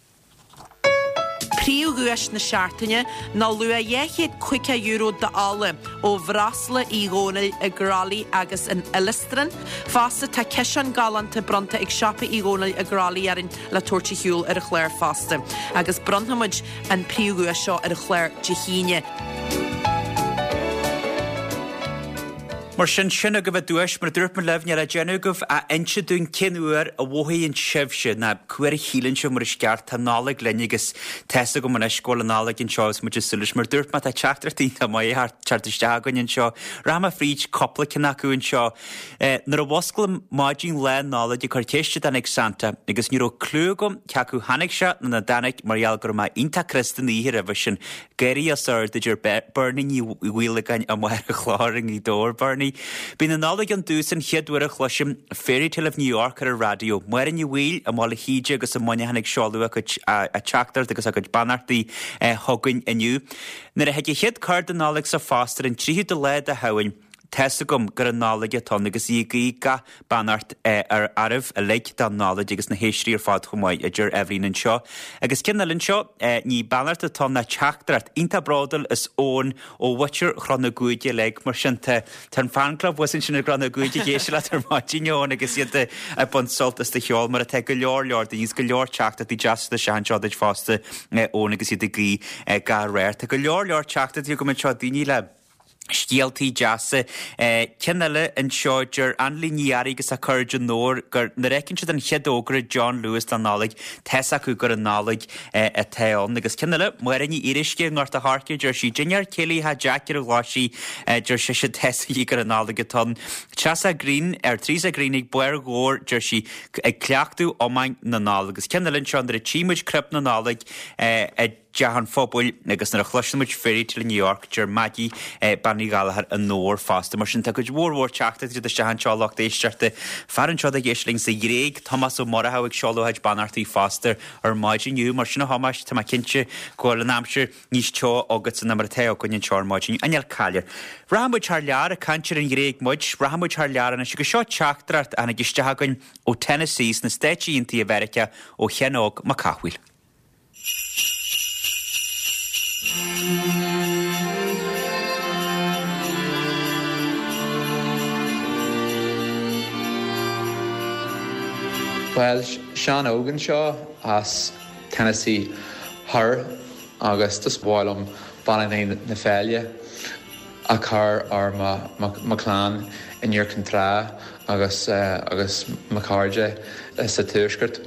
Príomhdhuais na seachtaine ná luach €250 d'ola ó Bhreosla Uí Dhónaill i gCroithlí agus in Uillestráin. Fosta tá ciseán galánta bronnta ag Siopa Uí Dhónaill i gCroithlí orainn le tabhairt ar shiúl ar an chlár fosta. Agus bronnfaimid an príomhdhuais seo ar an chlár Dé hAoine. Mar sin, sin agaibh an duais. Mar a dúirt mé libh, níl le déanamh agaibh ach inse dúinn cén uair a mhothaíonn sibhse, ná cá huair a shíleann sibh mar is ceart, tá Nollaig linn agus tá's agam anois go bhfuil an Nollaig anseo agus muid ag súil leis. Mar a dúirt mé, tá teachtaireachtaí iontach maith ag teacht isteach againn anseo. Rachaidh mé fríd cúpla ceann acu anseo. Nuair a mhusclaím maidin lá Nollag ag cur ceiste dtáinig Santa agus ní raibh cliú agam cé acu tháinig sé nó ná dtáinig mar gheall go raibh mé iontach crosta an oíche roimhe sin. Gáirí os ard a deir Bernie Ní Mhaolagáin amuigh ar an chlár i nGaoth Dobhair. Bernie, Bíonn an Nollaig ann domhsa an chéad uair a chloisim Fairytale of New York ar an raidió. Máire Ní Bhaoill i mBaile Shíde agus i Muineachán ag seoladh a cuid teachtaireacht agus a cuid beannachtaí chugainn inniu. Nuair a thig an chéad cárta Nollag sa phost ar an 30ú de lá de Shamhain, Tá's agam gur an Nollaig atá ann agus í ag guí gach beannacht ar oraibh uilig don Nollaig agus na héisteoirí ar fad chomh maith, a deir Eibhlín anseo. Agus ceann eile anseo, ní beannacht atá ann ná teachtaireacht. Iontach bródúil as Eoin ó mhuintir Chnoc na gCuaig uilig. Mar sin tá tá an fan club thuas ansin i gCnoc na gCuaig ag éisteacht leat ar maidin, Eoin, agus iad ag baint sult as do cheol mar atá go leor leor daoine agus go leor teachtaireachtaí deasa isteach anseo duit fosta, Eoin, agus iad ag guí gach rath. Tá go leor leor teachtaireachtaí agam anseo, daoine le. Scéaltaí deasa. Ceann eile anseo, deir Annlí Ní Fhearraigh agus a cairde i nDobhar gur nuair a fheiceann siad an chéad fhógra John Lewis don Nollaig, tá's acu gur an Nollaig atá ann. Agus ceann eile, Máire Ní Fhíoruisce i nGort a' Choirce, deir sí, Dinnéar céilí Theach Jeaic ar an Ghlaisigh, deir sise, tá's aici gur an Nollaig atá ann. Treasa Green, ar Teresa Green ag Barr Dhobhair, deir sí, ag cleachtadh iomáin na Nollag. Agus ceann eile anseo, nuair a tchí muid crib na Nollag, a. dTeach an Phobail agus nuair a chloiseann muid Fairytale in New York deir Maggie Bean Uí Ghallchóir onóir fosta. Mar sin tá cuid mhór mhór teachtaireachtaí ag teacht isteach anseo lucht éisteachta. Fear anseo ag éisteacht linn sa Ghréig, Tomás Ó Murchú ag seoladh a chuid beannachtaí fosta ar maidin inniu. Mar sin a Thomáis, tá mé cinnte go bhfuil an aimsir níos teo agatsa ná mar atá againn anseo ar maidin. An caillir. Rachaidh muid thar lear, ag caint ar an Ghréig muid, rachaidh muid thar lear anois agus seo teachtaireacht a tháinig isteach againn ó Tennessee sna Stáit Aontaithe Mheiriceá ó Sheán Óg Mac Cathmhaoil. Bhuel, Seán Óg anseo as Tennessee Thoir agus just ba mhaith liom beannachtaí na féile a chur ar mo chlann in Iúr Cinn Trá agus agus mo chairde sa Tuaisceart.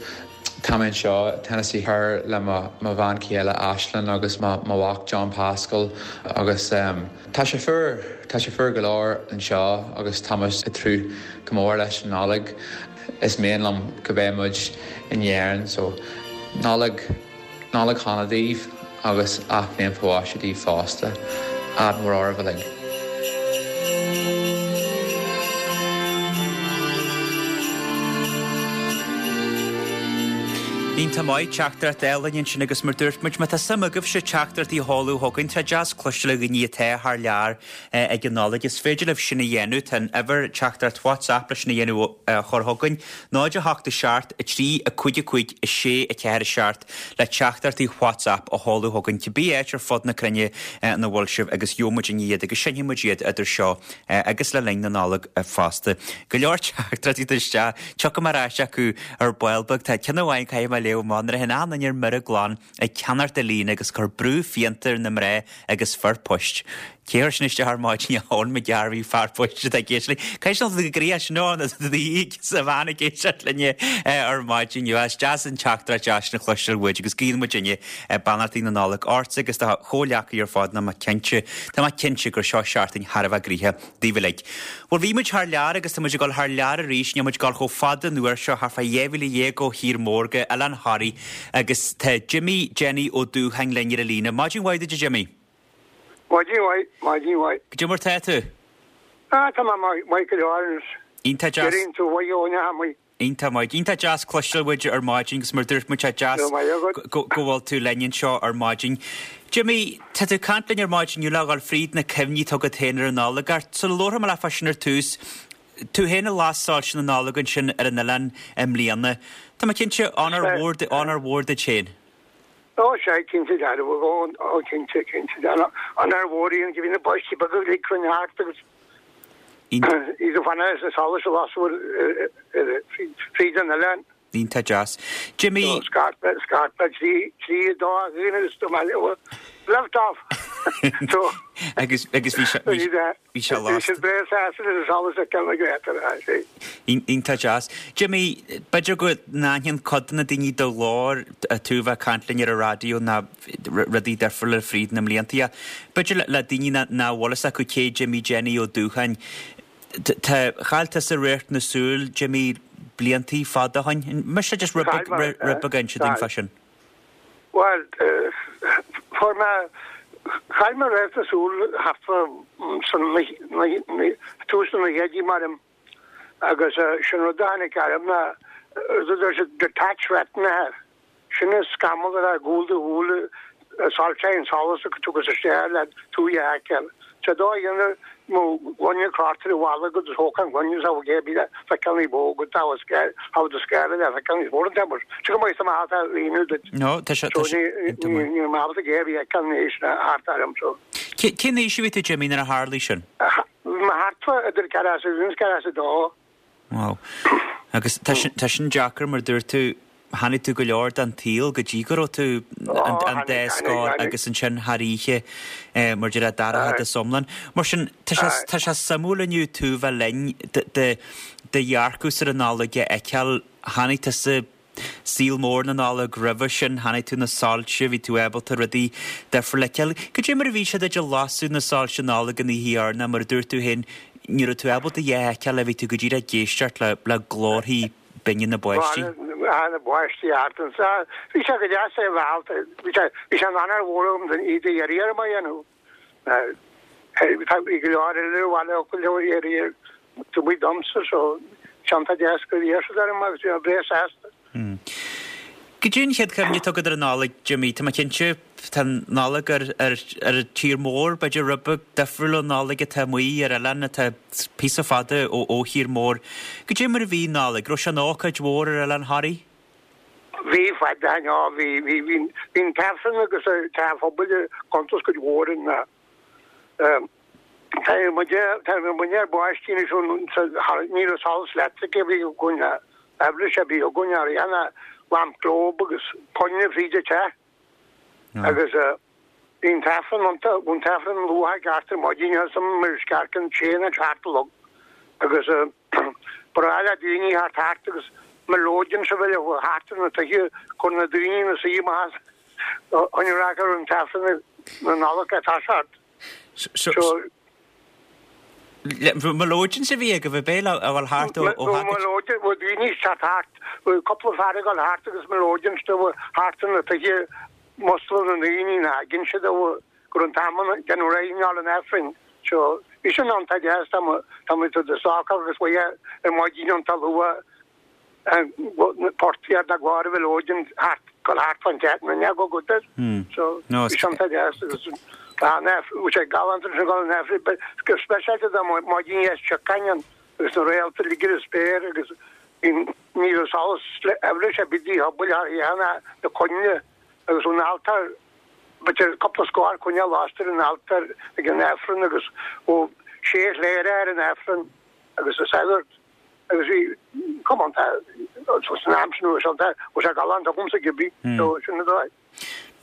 Tá mé anseo i Tennessee Thoir le mo bhean chéile Aislinn agus mo mhac John Pascal agus tá sé fuar, tá sé fuar go leor anseo agus tá muid ag tnúth go mór leis an Nollaig. Is mian liom go mbeidh muid in Éirinn so Nollaig, Nollaig shona daoibh agus athbhliain fá mhaise daoibh fosta. Ádh mór oraibh uilig. Iontach maith, teachtaireacht álainn ansin agus mar dúirt muid, má tá suim agaibhse teachtaireachtaí a sheoladh chugainn, tá deas cloisteáil ó dhaoine atá thar lear ag an Nollaig, is féidir libh sin a dhéanamh, tá an uimhir teachtaireacht WhatsApp leis sin a dhéanamh a chur chugainn, 0 8 7 3 5 5 6 4 7. le teachtaireachtaí WhatsApp a sheoladh chugainn cibé áit ar fud na cruinne ina bhfuil sibh agus gheobhaidh muid iad agus seinnfidh muid iad idir seo agus le linn na Nollag fosta. Go leor teachtaireachtaí isteach, tiocfaidh mé ar ais acu ar ball beag. Tá ceann amháin caithfidh mé a léamh amach nuair a théann achan duine ar mire glan ag ceannacht ar líne agus cur brú fíonta ar na mná agus fir poist. Cé chuir sin isteach ar maidin Eoin McGarvey fear poist atá ag éisteacht linn. Caithfidh sé go gcroí sin Eoin do do sa bhean ag éisteacht linne ar maidin inniu. Is deas an teachtaireacht deas sin a chloisteáil uait agus guíonn muidinne beannachtaí na Nollag ortsa agus do chomhghleacaithe ar fad ná mé cinnte, tá mé cinnte gur seo seachtain thar a bheith gnoitheach daoibh uilig. Bhuel bhí muid thar lear agus tá muid ag dul thar lear arís, níl muid ag dul chomh fada an uair seo, thart fá 12,000 ó thír mór go Oileán Thoraí agus tá Jimmy Jenny Ó Dúcháin linn ar an líne. Maidin mhaith duit a Jimmy. Maidin mhaith, maidin mhaith. Goidé mar tá tú? Ah, tá mé maith go leor anois. Iontach deas. Éiríonn tú mhaith ó neamh amuigh. Iontach maith. Iontach deas cloisteáil uait ar maidin agus mar dúirt muid tá deas Go raibh maith agat. go bhfuil tú linn anseo ar maidin. Jimmy, tá tú ag caint linn ar maidin inniu le dhul fríd na cuimhní atá agat féin ar an Nollaig. Ach sula labharfaidh mé leat fá sin ar tús, tú féin a las soilse na Nollag ansin ar an oileán i mbliana. Tá mé cinnte, onóir mhór, onóir mhór duit féin. Ó sea, cinnte dearfa, ó, ó cinnte, cinnte dearfa. Onóir mhór í an bhí na páistí beaga uilig cruinnithe thart agus iad ag fanacht leis na solais a lasadh fríd an oileán. Iontach deas. Jimmy. So scairt mé, scairt mé trí, dá dhuine agus do mé lift off! So. Agus, agus bhí sé, bhí, Bhí sé lasta. Bhí siad breá sásta leis an solas a ceann na Iontach deas. Jimmy, b'fhéidir go n-aithníonn cuid de na daoine do ghlór, tú a bheith ag caint linn ar an raidió ná rudaí difriúla fríd na mblianta ach b'fhéidir le daoine nach bhfuil fhios acu cé Jimmy Jenny Ó Dúcháin, tá, chaill tusa radharc na súl, Jimmy, bliantaí fada ó shin. Mise just rud beag, rud beag a inse dúinn fá sin. Bhuel, fuair mé, chaill mé radharc na súl thart fá san tús na naochaidí maram agus sin rud a tháinig orm ná rud a deir siad detached retina air. Sin an scamall atá i gcúl do shúile a soilsíonn an solas a thugas isteach le tú a fheiceáil. Sé dóigh a dhéanamh mo ghloine crochta ar an bhalla agus thógfá an ghloine is a bheadh le feiceáil ní ba mhó go dtabharfadh scéal, thabharfadh do scéal le feiceáil níos mó an t-am Sé go maith amach atá líonadh duit. No, tá sé, tá sé, So ní, ní, níl mé ábalta géar a fheiceáil anois ná thart orm so. Cén aois a bhí tú, Jimmy, nuair a tharlaigh sin? Bhí mé thart fá idir 41 is 42. Wow. Agus tá sin, tá sin deacair mar dúirt tú, chonaic tú go leor den tsaol go dtí go raibh tú an dá scór agus ansin thar oíche mar deir d'athraigh sé iomlán. Mar sin tá sé, tá sé suimiúil inniu tú bheith linn do dhearcadh ar an Nollaig a fheiceáil. Chonaic tusa saol mór na Nollag roimhe sin, chonaic tú na soilse, bhí tú ábalta rudaí difriúla a fheiceáil. Cad é mar a bhí sé duit ag lasadh na soilse Nollag an oíche dheireanach, mar a dúirt tú féin, ní raibh tú ábalta a dhath a fheiceáil, bhí tú go díreach ag éisteacht le glórthaí binne na bpáistí. na bpáistí thart anso. Bhí sé go deas é a bheith ábalta, bhí sé, bhí sé in onóir mhór agam don iad a iarraidh orm a dhéanamh. Bhí go leor eile ar bhaile acu leo iarraidh taobh amuigh domsa so sé iontach deas gur iarr siad orm agus bhí mé breá sásta. Goidé an chéad chuimhne atá agat ar an Nollaig, Jimmy? Tá mé cinnte, tá an Nollaig ar ar an tír mór, b'fhéidir rud beag difriúil ón Nollaig atá amuigh ar oileán atá píosa fada ó ó thír mór. Goidé mar a bhí an Nollaig? Raibh sé ina ócáid mhór ar Oileán Thoraí? Bhí, fad a ná, bhí, bhí, bhí, bhí an t-Aifreann agus an teach pobail ag cuntas cuid mhór in Tá muid, tá muid ar báistí anois ón, ní raibh solas leictrice a bhí againn, aibhléis a bhí againn ar aon lamp globe agus coinnle fríd an teach. Agus bhí an t-Aifreann iontu, bhí an t-Aifreann luath i gceart ar maidin agus mar scearcann sé nó seacht a chlog agus ba ghnách le daoine theacht thart agus mileoidean sa bhaile thart ar na tithe cur na daoine ina suí amach as an rac ar an t-Aifreann na Nollag ag toiseacht. So Mileoideans a bhí agaibh ab é a ghabháil thart ó thacaid? Mileoidean, bhí daoine ag teacht thart, bhí cúpla fear ag dul thart agus mileoideans thart ar na tithe ag musclú na ndaoine ina gcinnte siad go raibh an t-am ag déanamh réidh i ngeall an Aifrinn. So bhí sin iontach deas, tá muid i do socar agus bhí ar maidin iontach luath portaí na gclár a mhileoidean thart dul thart fan teach na neaga go dtí. So bhí sin iontach deas agus bhí sé galánta sin dul an Aifrinn go speisialta dá maidin dheas tiocáin ann agus na réalta uilig ar an spéir agus ní raibh solas aibhléis ar bith de dhíobháil thar oíche ná na coinnle agus ón altóir b'fhéidir cúpla scór coinneal lasta ar an altóir ag an Aifreann agus ó sé chléire ar an Aifreann agus a sagart agus bhí cuma an san am sin bhí sé galánta agamsa cibé so sin an dóigh.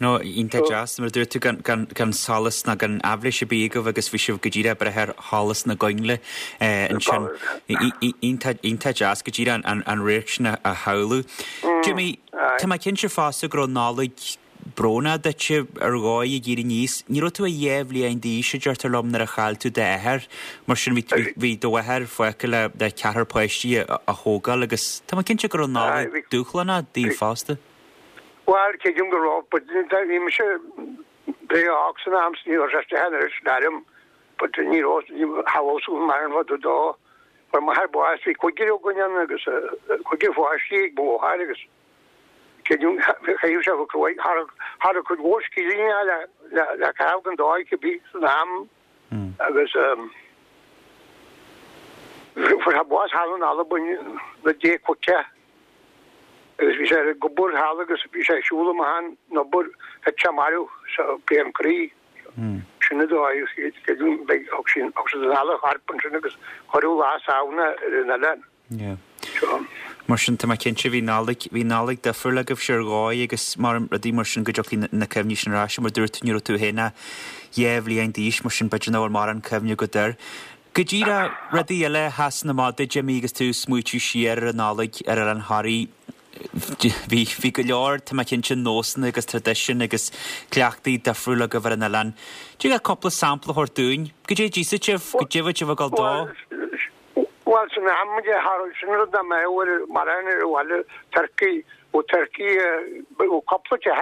No, iontach deas, mar a dúirt tú, gan, gan solas ná gan aibhléis ar bith agaibh agus bhí sibh go díreach ag brath ar sholas na gcoinnle ansin. Iontach, iontach deas go díreach an, an radharc sin a shamhlú. Jimmy, tá mé cinnte fosta go raibh Nollaig brónach duitse ar dhóigh ag éirí aníos. Ní raibh tú ach 2 bhliain d'aois, a deirtear liom, nuair a chaill tú d'athair. Mar sin bhí, bhí do mháthair fágtha le, le ceathrar páistí a, a thógáil agus tá mé cinnte go raibh Nollaig dúshlánach daoibh fosta. Bhuel, creidim go raibh, but bhí mise breá óg san am 's ní raibh sé isteach an oiread sin orm, but ní raibh, ní shamhlódh mé an rud dó. Fuair m'athair bás, bhí cúigear againn ann agus cúigear pháistí ag mo mháthair agus creidim chaitheadh sé go cruaidh, cha raibh, cha raibh cuid mhór scileanna le, le, le caitheamh den dóigh cibé san am agus fuair sé bás thall in Albain na dé chuige. Agus bhí sé ar an obair thall agus bhí sé ag siúl amach an obair thit sé marbh sa bpian croí. Sin an dóigh beidh thug siad thug siad anall a chorp ansin agus cuireadh Lá Samhna ar an oileán. Yeah. Mar sin tá mé cinnte bhí Nollaig bhí Nollaig difriúil agaibhse ar dhóigh agus mar rudaí mar sin go dtiocfaidh na cuimhní sin ar ais mar dúirt tú ní raibh tú féin ach 2 bhliain d'aois mar sin b'fhéidir nach bhfuil mórán cuimhne agat air. Go díreach, rudaí eile a sheasann amach duit, Jimmy, agus tú ag smaoitiú siar ar an Nollaig ar Oileán Thoraí, bhí, bhí go leor, tá mé cinnte, nósanna agus traidisiúin agus cleachtaí difriúla agaibh ar an oileán. Dtig leat cúpla sampla a thabhairt dúinn? Goidé a d'íosfadh sibh? Goidé a bhíodh sibh ag dul dó? Bhuel, san am, sin rud nach mbeadh ar, mar aon ar an bhaile, turcaí, ó turcaí, ó cúpla teach,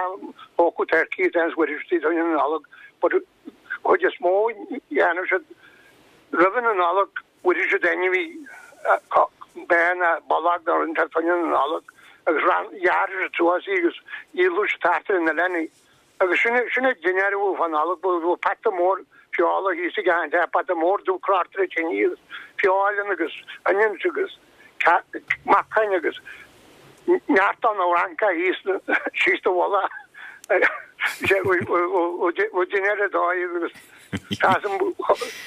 thógadh turcaí at times, bhfuair siad an Nollaig, but chuid is mó dhéanadh siad roimhe na Nollag bhfuair siad ainmhí ba nó bullock nó rud inteacht fá choinne na Nollag agus ran ghearr siad suas í agus dhíoladh siad thart ar an oileán í. Agus sin sin an dinnéar a bhí fá Nollaig bhí pota mór feola thíos ag an teach pota mór dubh crochta ar an tine agus feoil ann agus onions agus meacain agus neart an fhrancach thíos síos do mhullach ó dinnéar a dóigh agus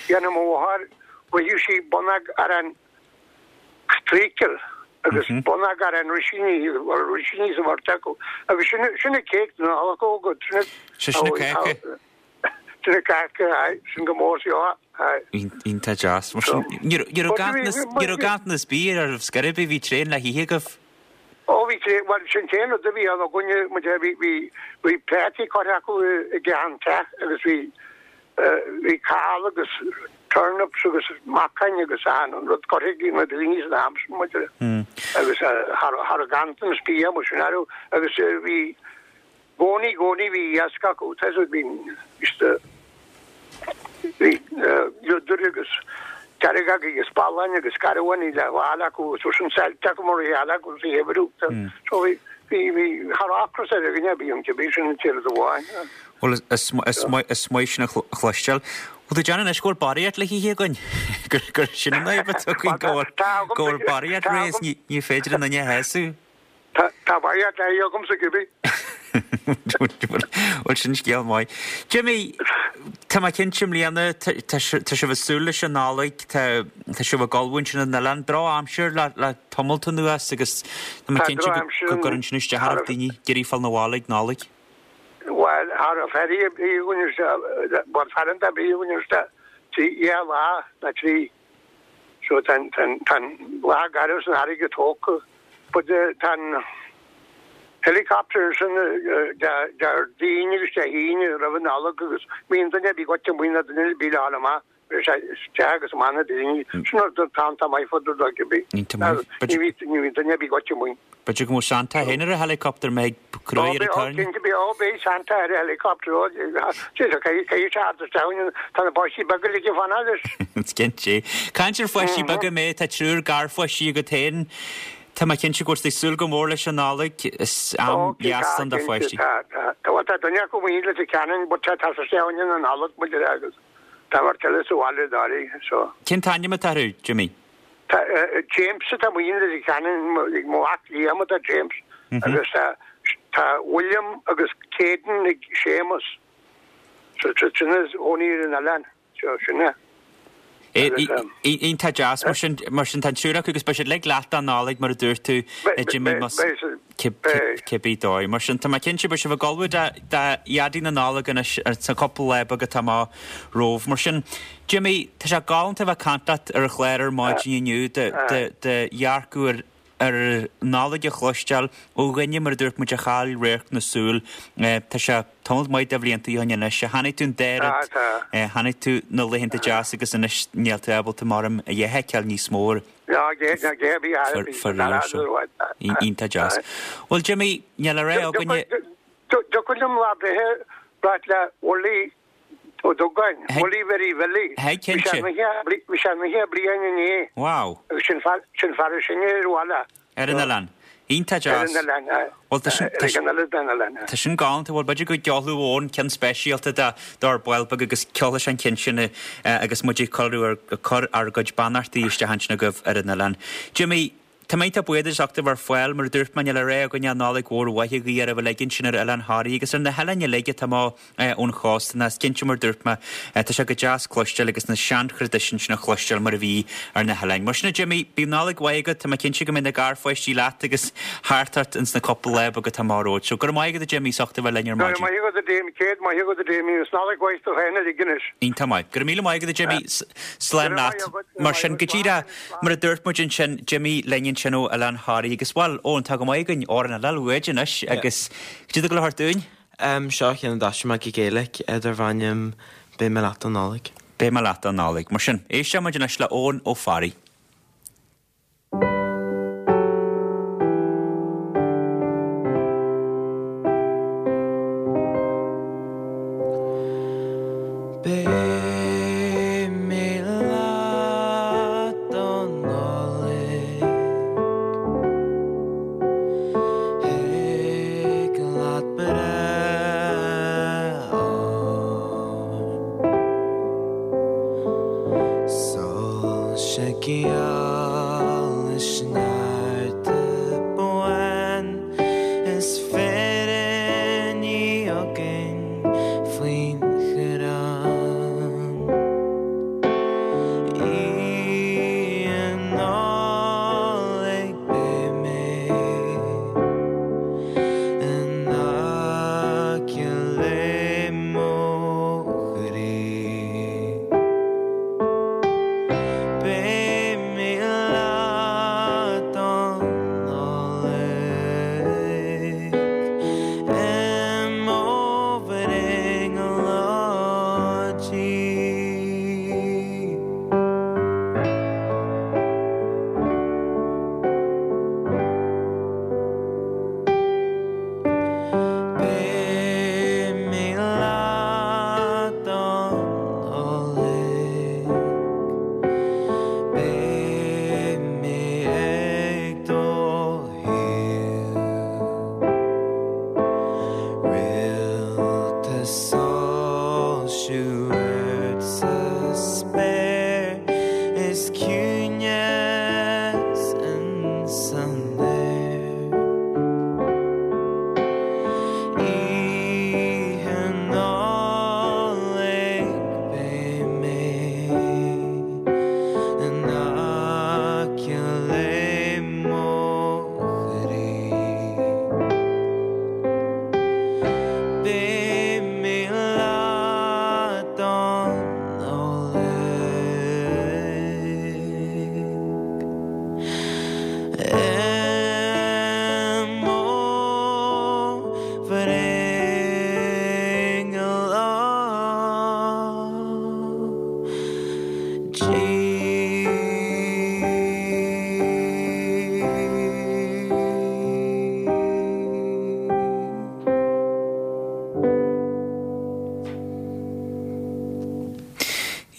dhéanadh mo mháthair bhuailfeadh sí bonnóg arán treacle agus bonnóg arán rísíní rísíní sa bheirt acu agus sin sin an cake na Nollag agat sin sin an cake. Sin an cake aye sin go mór seo aye. Iontach deas. Mar sin, ní raibh ganntanas ganntanas bídh oraibh scor ar bith, bhí tréan le hithe agaibh. Ó bhí tréan, bhuel sin t-aon rud a bhí ann againne, muid bhí bhí bhí prátaí curtha acu i gceann teach agus bhí bhí cál agus. Turnips agus meachain agus achan rud curtha ag na daoine san am sin maidir agus cha raibh ganntanas bia mar sin orthu agus bhí gcónaí gcónaí bhí iasc acu tá bhí bhí liodair agus deargóga agus balláin agus garbháin le fáil acu agus sin saillte acu mar a gheall acu sa gheimhreadh so bhí bhí bhí cha raibh ocras ar dhuine ar bith ann cibé sin an t-aon rud amháin. Bhuel, is maith sin a chloisteáil. Bhuel, tá déanamh anois go bhfuil barraíocht le hithe againn. Gur sin an fhadhb atá againn, go bhfuil barraíocht réidh is ní féidir an duine a shásamh. Tá barraíocht le hithe agamsa cibé. Bhuel, sin scéal maith. Jimmy, tá mé cinnte i mbliana, tá sibh ag súil leis an Nollaig, tá sibh ag ullmhú ansin ar an oileán. Drochaimsir le tamalt anuas agus tá mé cinnte go gcuireann sin isteach ar daoine ag iarraidh fáil 'na bhaile ag Nollaig. Bhuel, cha raibh ferry ar bith againn isteach, bhuel tarraingt ar bith againn isteach, trí dhá lá nó trí. So tá an, tá an, tá an lá garbh san fharraige tógtha. But tá an helicopter ansin Déardaoin agus Dé hAoine roimh an Nollaig agus bíonn duine ar bith goite amuigh nó duine ar bith le fháil amach. Isteach agus amach na daoine. Sin rud atá iontach maith fud ar dóigh ar bith. Iontach maith. Ní bhíonn duine ar bith goite amuigh. B'fhéidir go mbeadh Santa féin ar an helicopter mbeidh ag crá ar an tairne. Cinnte beidh, ó beidh Santa ar an helicopter, ó caithfidh sé teacht isteach, tá na páistí beaga uilig ag fanacht leis. Is cinnte. Caint ar pháistí beaga mé, tá triúr garpháistí agat féin. Tá mé cinnte go bhfuil tú ag súil go mór leis an Nollaig. Is am deas ann do pháistí. Tá, tá. Tá duine acu amuigh i Leitir Ceanainn but tá sé isteach ann an Nollaig muid agus. Tá beirt eile sa bhaile dáiríre, so. Cén t-ainm atá orthu, Jimmy? Tá James atá amuigh i Leitir Ceanainn, ag mo mhac Liam atá James, agus tá tá William agus Caden ag Séamus. So sin ina gcónaí ar an oileán, so sin é. Iontach deas, mar sin, mar sin tá an triúr acu agus beidh siad uilig leat don Nollaig mar a dúirt tú, a Jimmy, más. Cibé dóigh. Mar sin, tá mé cinnte, beidh sibh ag ullmhú do Dhaidí na Nollag anois sa chúpla lá beag atá amach romhaibh. Mar sin, Jimmy, tá sé galánta a bheith ag caint leat ar an chlár ar maidin inniu, do dhearcadh ar ar Nollaig a chloisteáil ó dhuine, mar a dúirt muid, a chaill radharc na súl. Tá sé tamall maith de bhlianta ó shin anois. Chonaic tú an dá rud, chonaic tú na laethanta deasa agus anois níl tú ábalta maram a dhath a fheiceáil níos mó. Faraor seo. Iontach deas. Bhuel Jimmy, níl le rá againne. Thiocfadh liom lá breithe ráit le Willie Ó Dubhgáin, Willie Mhary Bhilly. Hey, cinnte. Bhí sé 90 bliain inné. Wow. Agus sin fear sin fear is sine ar bhaile. Ar an oileán. Iontach deas. Ar an oileán, aye. Bhuel, tá sin, tá sin, tá sin galánta. Bhuel, b'fhéidir go gceolfadh Eoin ceann speisialta dár bhaill beag agus ceolfaidh sé an ceann sin agus muid ag cur, ag cur ár gcuid beannachtaí isteach ansin agaibh ar an oileán. Jimmy, tá mé iontach buíoch duit as ucht a bheith ar fáil. Mar a dúirt mé, níl le rá againn ach Nollaig mhór mhaith a ghuí oraibh uilig ansin ar Oileán Thoraí agus ar na hoileáin uilig atá amach ón chósta. Is cinnte mar a dúirt mé, tá sé go deas cloisteáil agus na seanthraidisiúin sin a chloisteáil mar a bhí ar na hoileáin. Mar sin a Jimmy, bíodh Nollaig mhaith agat, tá mé cinnte go mbeidh na garpháistí leat agus thart ort ins na cúpla lá beag atá amach romhat. So go raibh maith agat a Jimmy as ucht a bheith linn ar maidin. Go raibh maith agat a Damien, céad maith agat a Damien, is Nollaig mhaith do chaon uilig anois. Iontach maith. Go raibh míle maith agat a Jimmy, slán leat. Mar sin, go díreach mar a dúirt muid ansin, Jimmy linn ansin ó Oileán Thoraí agus bhuel, Eoin, tá go maith againn amhrán eile uait anois agus cad é atá le thabhairt dúinn? Seo ceann a d'aistrigh mé go Gaeilic darb ainm Beidh mé leat don Nollaig. Beidh mé leat don Nollaig. Mar sin, éisteoidh muid anois le Eoin Ó Fearraigh. Beidh mé leat don Nollaig. Thig leat breith orm. Soilse géara.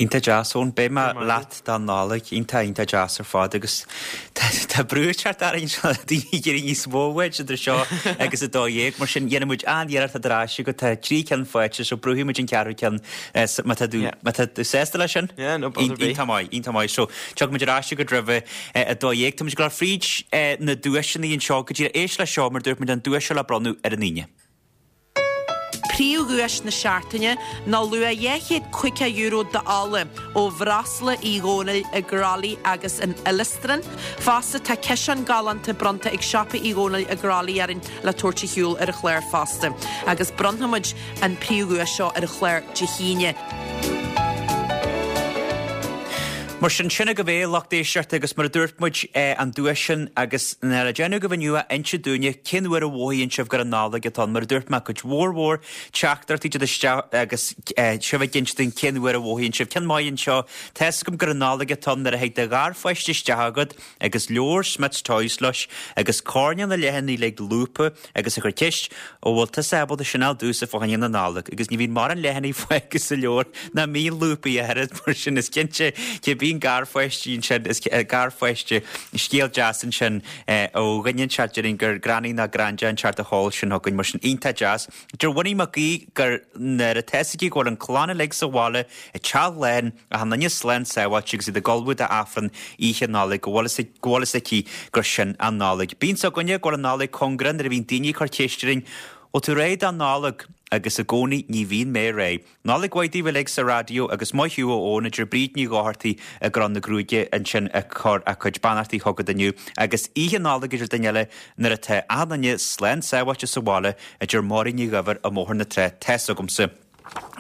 Iontach deas Eoin, beidh mé leat don Nollaig, iontach iontach deas ar fad agus tá brú ag teacht orainn anseo le daoine ag iarraidh níos mó uait idir seo agus 12, mar sin dhéanfaidh muid an-iarracht a ar ais agat, tá 3 ceann faighte so brúfaidh muid an ceathrú ceann má tá tú má tá tú sásta leis sin? Yeah, no bother ar bith. Iontach maith, iontach maith. So tiocfaidh muid ar ais agat roimh 12. Tá muid ag dul fríd na duaiseanna anseo go díreach éist leis seo mar dúirt muid an duais seo le bronnadh ar an Aoine. Príomhdhuais na seachtaine ná luach €250 d'ola ó Bhreosla Uí Dhónaill i gCroithlí agus in Uillestráin. Fosta tá ciseán galánta bronnta ag Siopa Uí Dhónaill i gCroithlí orainn le tabhairt ar shiúl ar an chlár fosta. Agus bronnfaidh muid an príomhdhuais seo ar an chlár Dé hAoine. Mar sin, sin agaibh é, lucht éisteachta, agus mar a dúirt muid, an duais sin, agus le déanamh agaibh inniu ach inse dúinne cén uair a mhothaíonn sibh gur an Nollaig atá ann. Mar a dúirt mé, cuid mhór mhór teachtaireachtaí ag teacht isteach agus sibh ag inse dúinn cén uair a mhothaíonn sibh. Ceann maith anseo, tá's agam gur an Nollaig atá ann nuair a thig do gharpháiste isteach agat agus leabhar Smyths Toys leis agus coirnéal na leathanaigh uilig lúbtha agus ag cur ceist, Ó bhfuil tusa ábalta sin a fháil domhsa fá choinne na Nollag? Agus ní bhíonn mórán leathanaigh fágtha sa leabhar nach mbíonn lúbtha ach oiread, mar sin is cinnte cibé an garpháistí ansin, is garpháiste, scéal deas ansin ó dhuine inteacht déarfainn gur granny nó granda inteacht a sheol sin chugainn, mar sin iontach deas. Deir Winnie Mac Aoidh gur nuair atá fhios aici go bhfuil an clann uilig sa bhaile i dteach lán, achan duine slán sábháilte agus iad ag ullmhú d'Aifreann oíche Nollag, go bhfuil go bhfuil fhios aici gur sin an Nollaig. Bíonn 's againne go bhfuil an Nollaig cóngarach nuair a bhíonn daoine ag cur ceist orainn, 'Bhfuil tú réidh don Nollaig? Agus i gcónaí ní bhíonn mé réidh. Nollaig mhaith daoibh uilig sa raidió agus maith thú a Eoin, a deir Bríd Ní Dhochartaigh i gCró na Gruaige ansin ag cur a cuid beannachtaí chugat inniu. Agus oíche Nollag a deir duine eile nuair atá achan duine slán sábháilte sa bhaile, a deir Máirín Ní Dhuibhir i mBóthar na Trá, tá's agamsa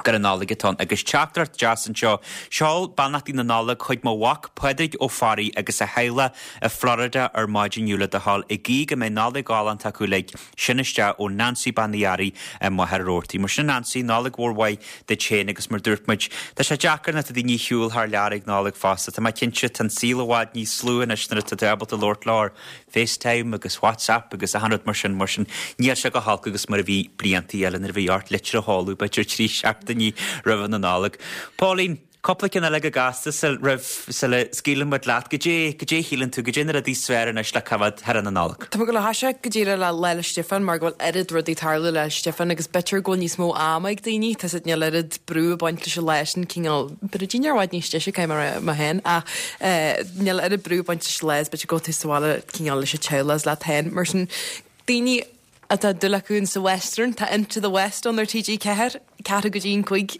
gur an Nollaig atá ann. Agus teachtaireacht deas anseo, Seol beannachtaí na Nollag chuig mo mhac Pádraig Ó Fearraigh agus a theaghlach i Florida ar maidin inniu le do thoil, ag guí go mbeidh Nollaig ghalánta acu uilig. Sin isteach ó Nancy Bean Uí Fhearraigh i Machaire Rabhartaigh. Mar sin a Nancy, Nollaig mhór mhaith duit féin agus mar dúirt muid, tá sé deacair nuair atá daoine ar shiúl thar lear ag Nollaig fosta. Tá mé cinnte, tá an saol i bhfad níos lú anois nuair atá tú ábalta labhairt leo ar FaceTime agus WhatsApp agus achan rud mar sin, mar sin níl sé chomh holc agus mar a bhí bliantaí eile nuair a bhí ort litir a sheoladh b'fhéidir 3 seachtainí roimhe na Nollag. Pauline, Cúpla ceann eile go gasta sul roimh sula scaoileann muid leat. Goidé, goidé a shíleann tú, goidé na rudaí is fearr anois le coimhéad thar na Nollag? Tá mé ag dul a thoiseacht go díreach le Lá 'le Stiofáin mar go bhfuil oiread rudaí ag tarlú Lá 'le Stiofáin agus b'fhéidir go bhfuil níos mó ama ag daoine, tá 's agat níl oiread brú ag baint leis an lá sin cineál, b'fhéidir daoine ar i bhfad níos deise caithfidh mé a rá mé féin ach eh níl oiread brú ag baint leis an lá is b'fhéidir go bhfuil tú sa bhaile cineál leis an teaghlach is leat féin mar sin daoine atá dúil acu in sa Western, tá Into the West ann ar TG4, ceathrú go dtí an cúig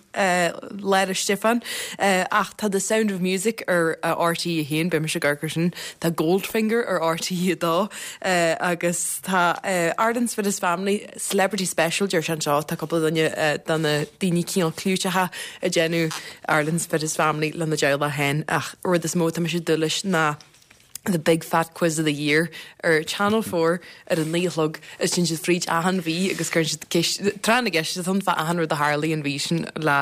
Lá 'le Stiofáin. Ach tá The Sound of Music ar RTÉ 1, beidh mise ag amharc ar sin, tá Goldfinger ar RTÉ 2 agus tá Ireland's Fittest Family, Celebrity Special deir sé anseo, tá cúpla duine de na daoine cineál clúiteacha ag déanamh Ireland's Fittest Family lena dteaghlach féin ach rud is mó atá mise ag dúil leis ná The Big Fat Quiz of the Year ar Channel 4 ar a 9 a chlog is téann siad fríd achan mhí agus cuireann siad ceist, tráth na gceist atá ann fá achan rud a tharlaigh an mhí sin le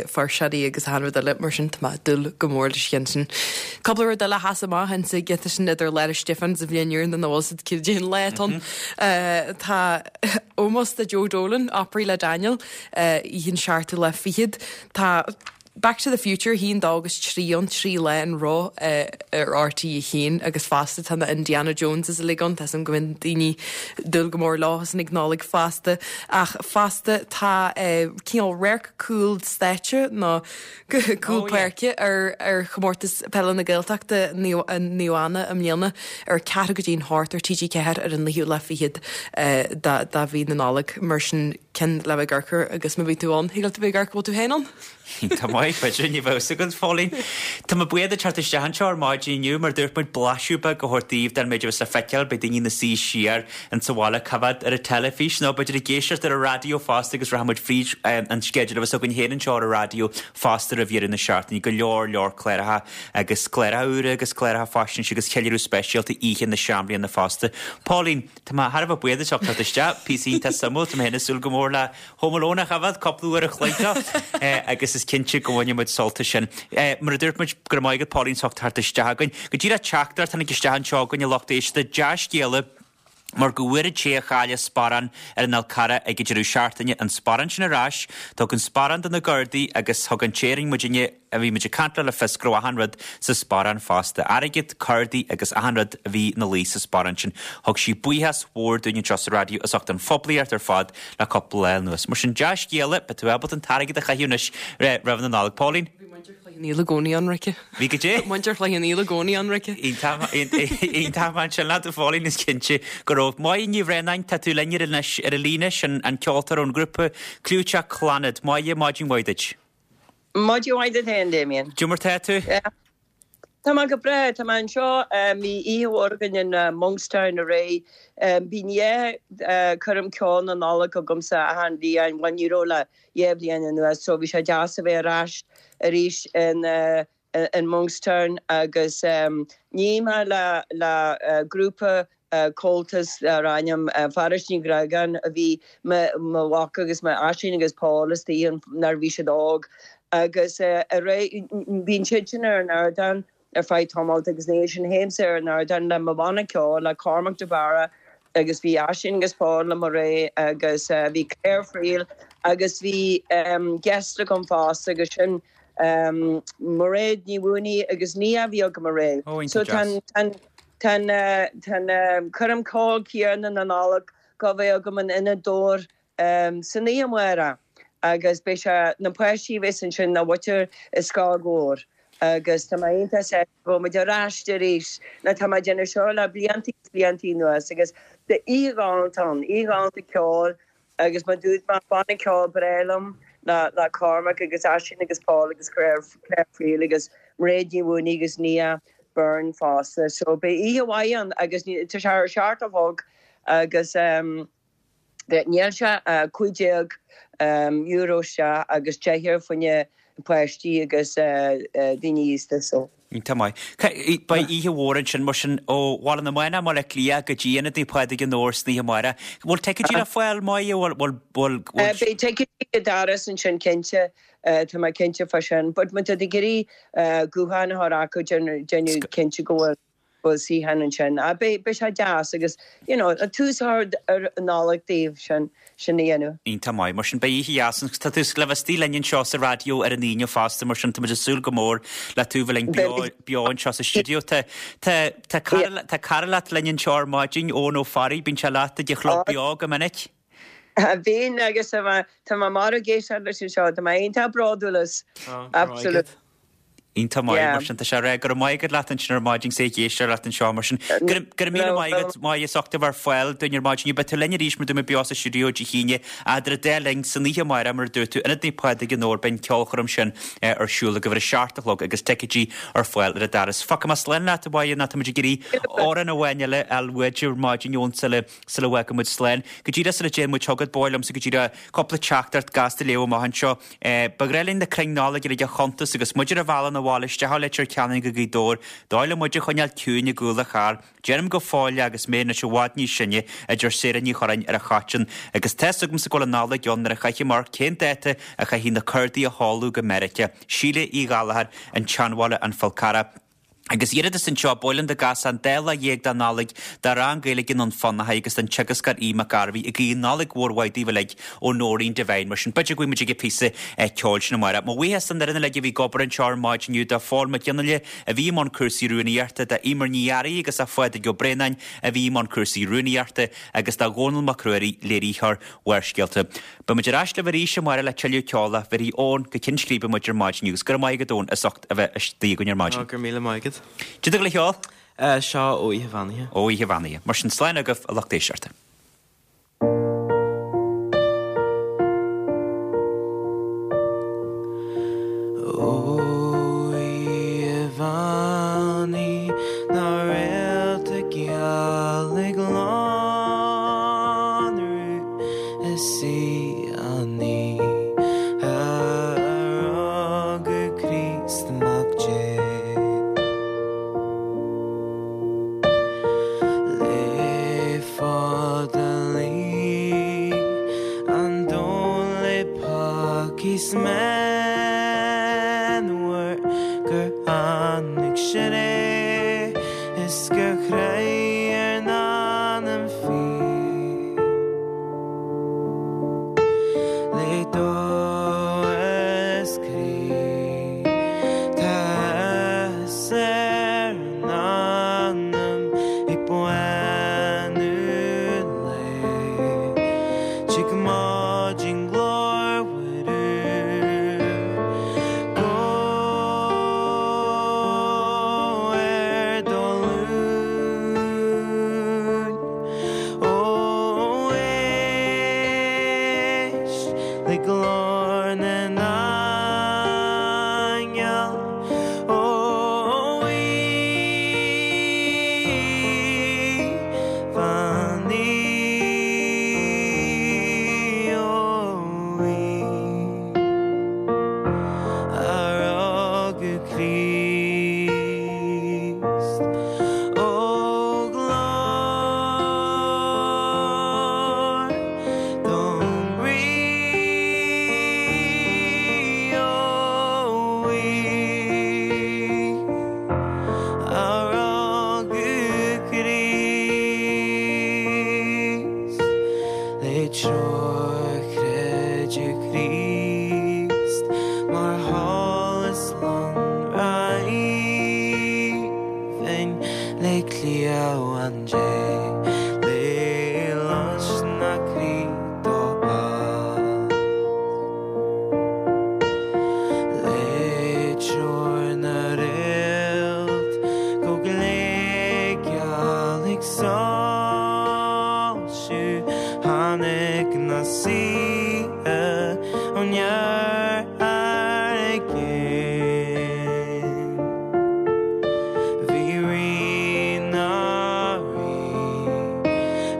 fuirseoirí agus achan rud eile mar sin tá mé ag dúil go mór leis an cheann sin. Cúpla rud eile a sheas amach insa ghiota sin idir Lá 'le Stiofáin sa bhliain úr na bhfuil siad cén lá atá ann. Tá ómós do Joe Dolan, Opry le Daniel, oíche an seachtú lá fichead. Tá Back to the Future, 1, 2 agus 3 ann, 3 lá in a row ar RTÉ 1 agus fosta tá na Indiana Joneses uilig ann, tá 'fhios a'm go mbíonn daoine ag dúil go mór leo san ag Nollaig fosta. Ach fosta tá cineál radharc cúl stáitse nó cúl páirce ar ar chomórtas peile na Gaeltachta Naomh Anna i mbliana ar ceathrú go dtí an hocht ar TG4 ar an naoú lá fichead de mhí na Nollag mar sin ceann le bheith ag amharc air agus má bhí tú ann, thig leat a bheith ag amharc, bhfuil tú féin ann? Tá maith, b'fhéidir, ní bheadh fhios agat, Phóilín. Tá mé buíoch duit teacht isteach anseo ar maidin inniu, mar dúirt muid blaiseadh beag a thabhairt daoibh den méid a bheas le feiceáil, beidh daoine ina suí siar insa bhaile ag coimhéad ar an teilifís nó b'fhéidir ag éisteacht ar an raidió fosta agus rachaidh muid fríd an sceideal a bheas againn féin anseo ar an raidió fosta roimh dheireadh na seachtaine, go leor leor cláracha agus cláracha úra agus cláracha faisnéise agus ceiliúradh speisialta Oíche na Seanbhliana fosta. Pauline, Tá mé thar a bheith buíoch duit as ucht teacht isteach, píosa iontach suimiúil, tá mé féin ag súil go mór le Home Alone a choimhéad cúpla uair a chloig dó agus is cinnte go bhainfidh muid sult as sin. Mar a dúirt muid, go raibh maith agat Pauline as ucht teacht isteach againn. Go díreach teachtaireacht tháinig isteach anseo againn a lucht éisteachta, dea-scéala. Mar go bhfuair an té a chaill a sparán ar an Fhál Carrach ag an deireadh seachtaine an sparán sin ar ais, thug an sparán do na Gardaí agus thug an té a rinne muidinne, a bhí muid ag caint leo le fios go raibh achan rud sa sparán fosta, airgead, cárdaí agus achan rud a bhí ina luí sa sparán sin. Thug sí buíochas mhór dúinn anseo sa raidió as ucht an phoiblíocht ar fad le cúpla lá anuas. Mar sin, dea-scéala, beidh tú ábalta an t-airgead a chaitheamh anois roimh na Nollag. Pauline? Bhí muintir Chloich Cheann Fhaola i gcónaí ionraice. Bhí go dté? Muintir Chloich Cheann Fhaola i gcónaí ionraice. Iontach maith ansin leat a Phauline, is cinnte go raibh. Máire Ní Bhraonáin, tá tú linn ar anois ar an líne, sin an ceoltóir ón ghrúpa clúiteach Clannad. Máire, maidin mhaith duit. Maidin mhaith duit féin, Damien. Cad é mar tá tú? Tá mé go breá, tá mé anseo, bhí oíche mhór againn in Monkstown aréir. Bíonn dhá choirm ceoil na Nollag agamsa achan bhliain, bhuel ní raibh le dhá bhliain anuas so bhí sé deas a bheith ar ais arís in in Monkstown agus ní mé le le grúpa Comhaltas dar ainm Fearghas Ní Ghreagáin a bhí mo mo mhac agus mo Aisling agus Paul istigh ann nuair a bhí siad óg agus aréir bíonn siad sin ar an ardán ar feadh tamalt agus ina dhiaidh sin théimse ar an ardán le mo bhanna ceoil, le Cormac de Barra agus bhí Aisling agus Paul liom aréir agus bhí Claire Friel agus bhí guest agam fosta agus sin Mairéad Ní Mhaonaigh agus Nia a bhí agam aréir. So tá an tá an coirm ceoil céanna na Nollag go bheith agam in Ionad Dobhair san oíche amárach agus beidh sé, na páistí a bheas ansin ná muintir Scoil Dhobhair agus tá mé iontach sásta go bhfuil muid ar ais arís nó tá mé ag déanamh seo le blianta agus blianta anuas agus beidh oíche ghalánta ann, oíche ghalánta ceoil agus mar a dúirt mé banna ceoil breá liom le le Cormac agus Aisling agus Paul agus Claire Claire Friel agus Mairéad Ní Mhaonaigh agus Nia Byrne fosta so beidh oíche mhaith ann agus tá sé ar a seacht a chlog agus Níl sé ach €15 isteach agus €10 fá choinne páistí agus daoine aosta so. Iontach maith. Beidh oíche mhór ansin mar sin ó Bhaile na Manach i mBaile Átha Cliath go dtí Ionad Naomh Pádraig i nDobhar san oíche amárach. Bhfuil ticéidí le fáil, Máire? Bhfuil, bhfuil, bhfuil. Beidh ticéidí ag an doras ansin cinnte, tá mé cinnte fá sin. But má tá tú ag iarraidh guthán a chur acu déanamh cinnte go bhfuil. bhfuil suíochán ansin. Ah, beidh, beidh sé deas agus, you know, tús a chur ar an Nollaig daoibh, sin, sin a dhéanamh. Iontach maith. Mar sin, beidh oíche dheas ann. Tá tú le bheith istigh linn anseo sa raidió ar an Aoine fosta, mar sin tá muid ag súil go mór le tú bheith linn beo, beo anseo sa stiúideo. Tá, tá, tá cara, tá cara leat linn anseo ar maidin, Eoin Ó Fearraigh, bíonn sé leat ag an Chlub Beo go minic. Bíonn agus tá mé, tá mé marbh ag éisteacht leis anseo, tá mé iontach bródúil as. Absolutely. Iontach maith, mar sin tá sé rá go raibh maith agat leat ansin ar maidin 's é ag éisteacht leat anseo mar sin. Go raibh míle maith agat, Máire, as ucht a bheith ar fáil dúinn ar maidin. Beidh tú linn arís mar dúirt mé beo sa stiúideo Dé hAoine, idir an dá linn san oíche amárach mar a dúirt tú, Ionad Naomh Pádraig i nDobhar, beidh an ceolchoirm sin ar siúl ag uimhir a seacht a chlog agus ticéidí ar fáil ar an doras. Fágfaidh mé slán leat a Mháire nó tá muid ag iarraidh amhrán amháin eile a fháil uait ar maidin ón sula sula bhfágfaidh muid slán. Go díreach sula dtéann muid chugat, ba mhaith liomsa go díreach cúpla teachtaireacht gasta a léamh amach anseo. Ba ghnách linn na crainn Nollag uilig a chuntas agus muid ar an bhealach 'na bhaile isteach ó Leitir Ceanainn go Gaoth Dobhair. Dóigh le muid a choinneáil ciúin i gcúl an chairr. Deirim go fóill é agus mé anois i bhfad níos sine, a deir Sarah Ní Churráin ar an Choiteann. Agus tá's agamsa go bhfuil an Nollaig ann nuair a chaithim amharc cén dáta a chaithfidh na cordaí a sheoladh go Meiriceá. Síle Uí Ghallchóir, An tSeanbhaile, An Fál Carrach. Agus iarratas anseo, ba mhaith linn dá gcasfá An Dá Lá Dhéag de Nollaig do rang Gaeilge i nDún Fionnachaidh agus don teagascóir Aodh Mac Gairbhí ag guí Nollaig mhór mhaith daoibh uilig ó Nóirín Devine. Mar sin, b'fhéidir go bhfaighidh muid ag an phíosa ceoil sin amárach. Mo bhuíochas don fhoireann uilig a bhí ag obair anseo ar maidin inniu, do Phól Mac Fhionnghaile a bhí i mbun cúrsaí rúnaíochta, do Emer Ní Fhearraigh agus do Phádraig Ó Braonáin a bhí i mbun cúrsaí rúnaíochta agus do Dhónall Mac Ruairí, léiritheoir Bharrscéalta. Beidh muid ar ais libh arís amárach le tuilleadh ceoil ach bhéarfaidh Eoin go Cinn Scríbe muid ar maidin agus go raibh maith agat Eoin as ucht a bheith istigh againn ar maidin. Go raibh míle maith agat. Cad é le ceol? Seo ó Oíche Bheannaithe. Ó Oíche Bheannaithe. Mar sin slán agaibh a lucht éisteachta. Ó Oíche Bheannaithe na réalta geal ag lonrú Is í an oíche a rugadh Críost Mac Dé. Le fada luigh an domhan le peacaí 's meanmhar gur tháinig sé is gur chraith ár n-anam fíor. mhaisiú Tháinig na saoithe ón iarthar i gcéin Bhí Rí na Rí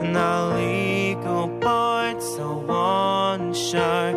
'na luí go bard sa mhainséar.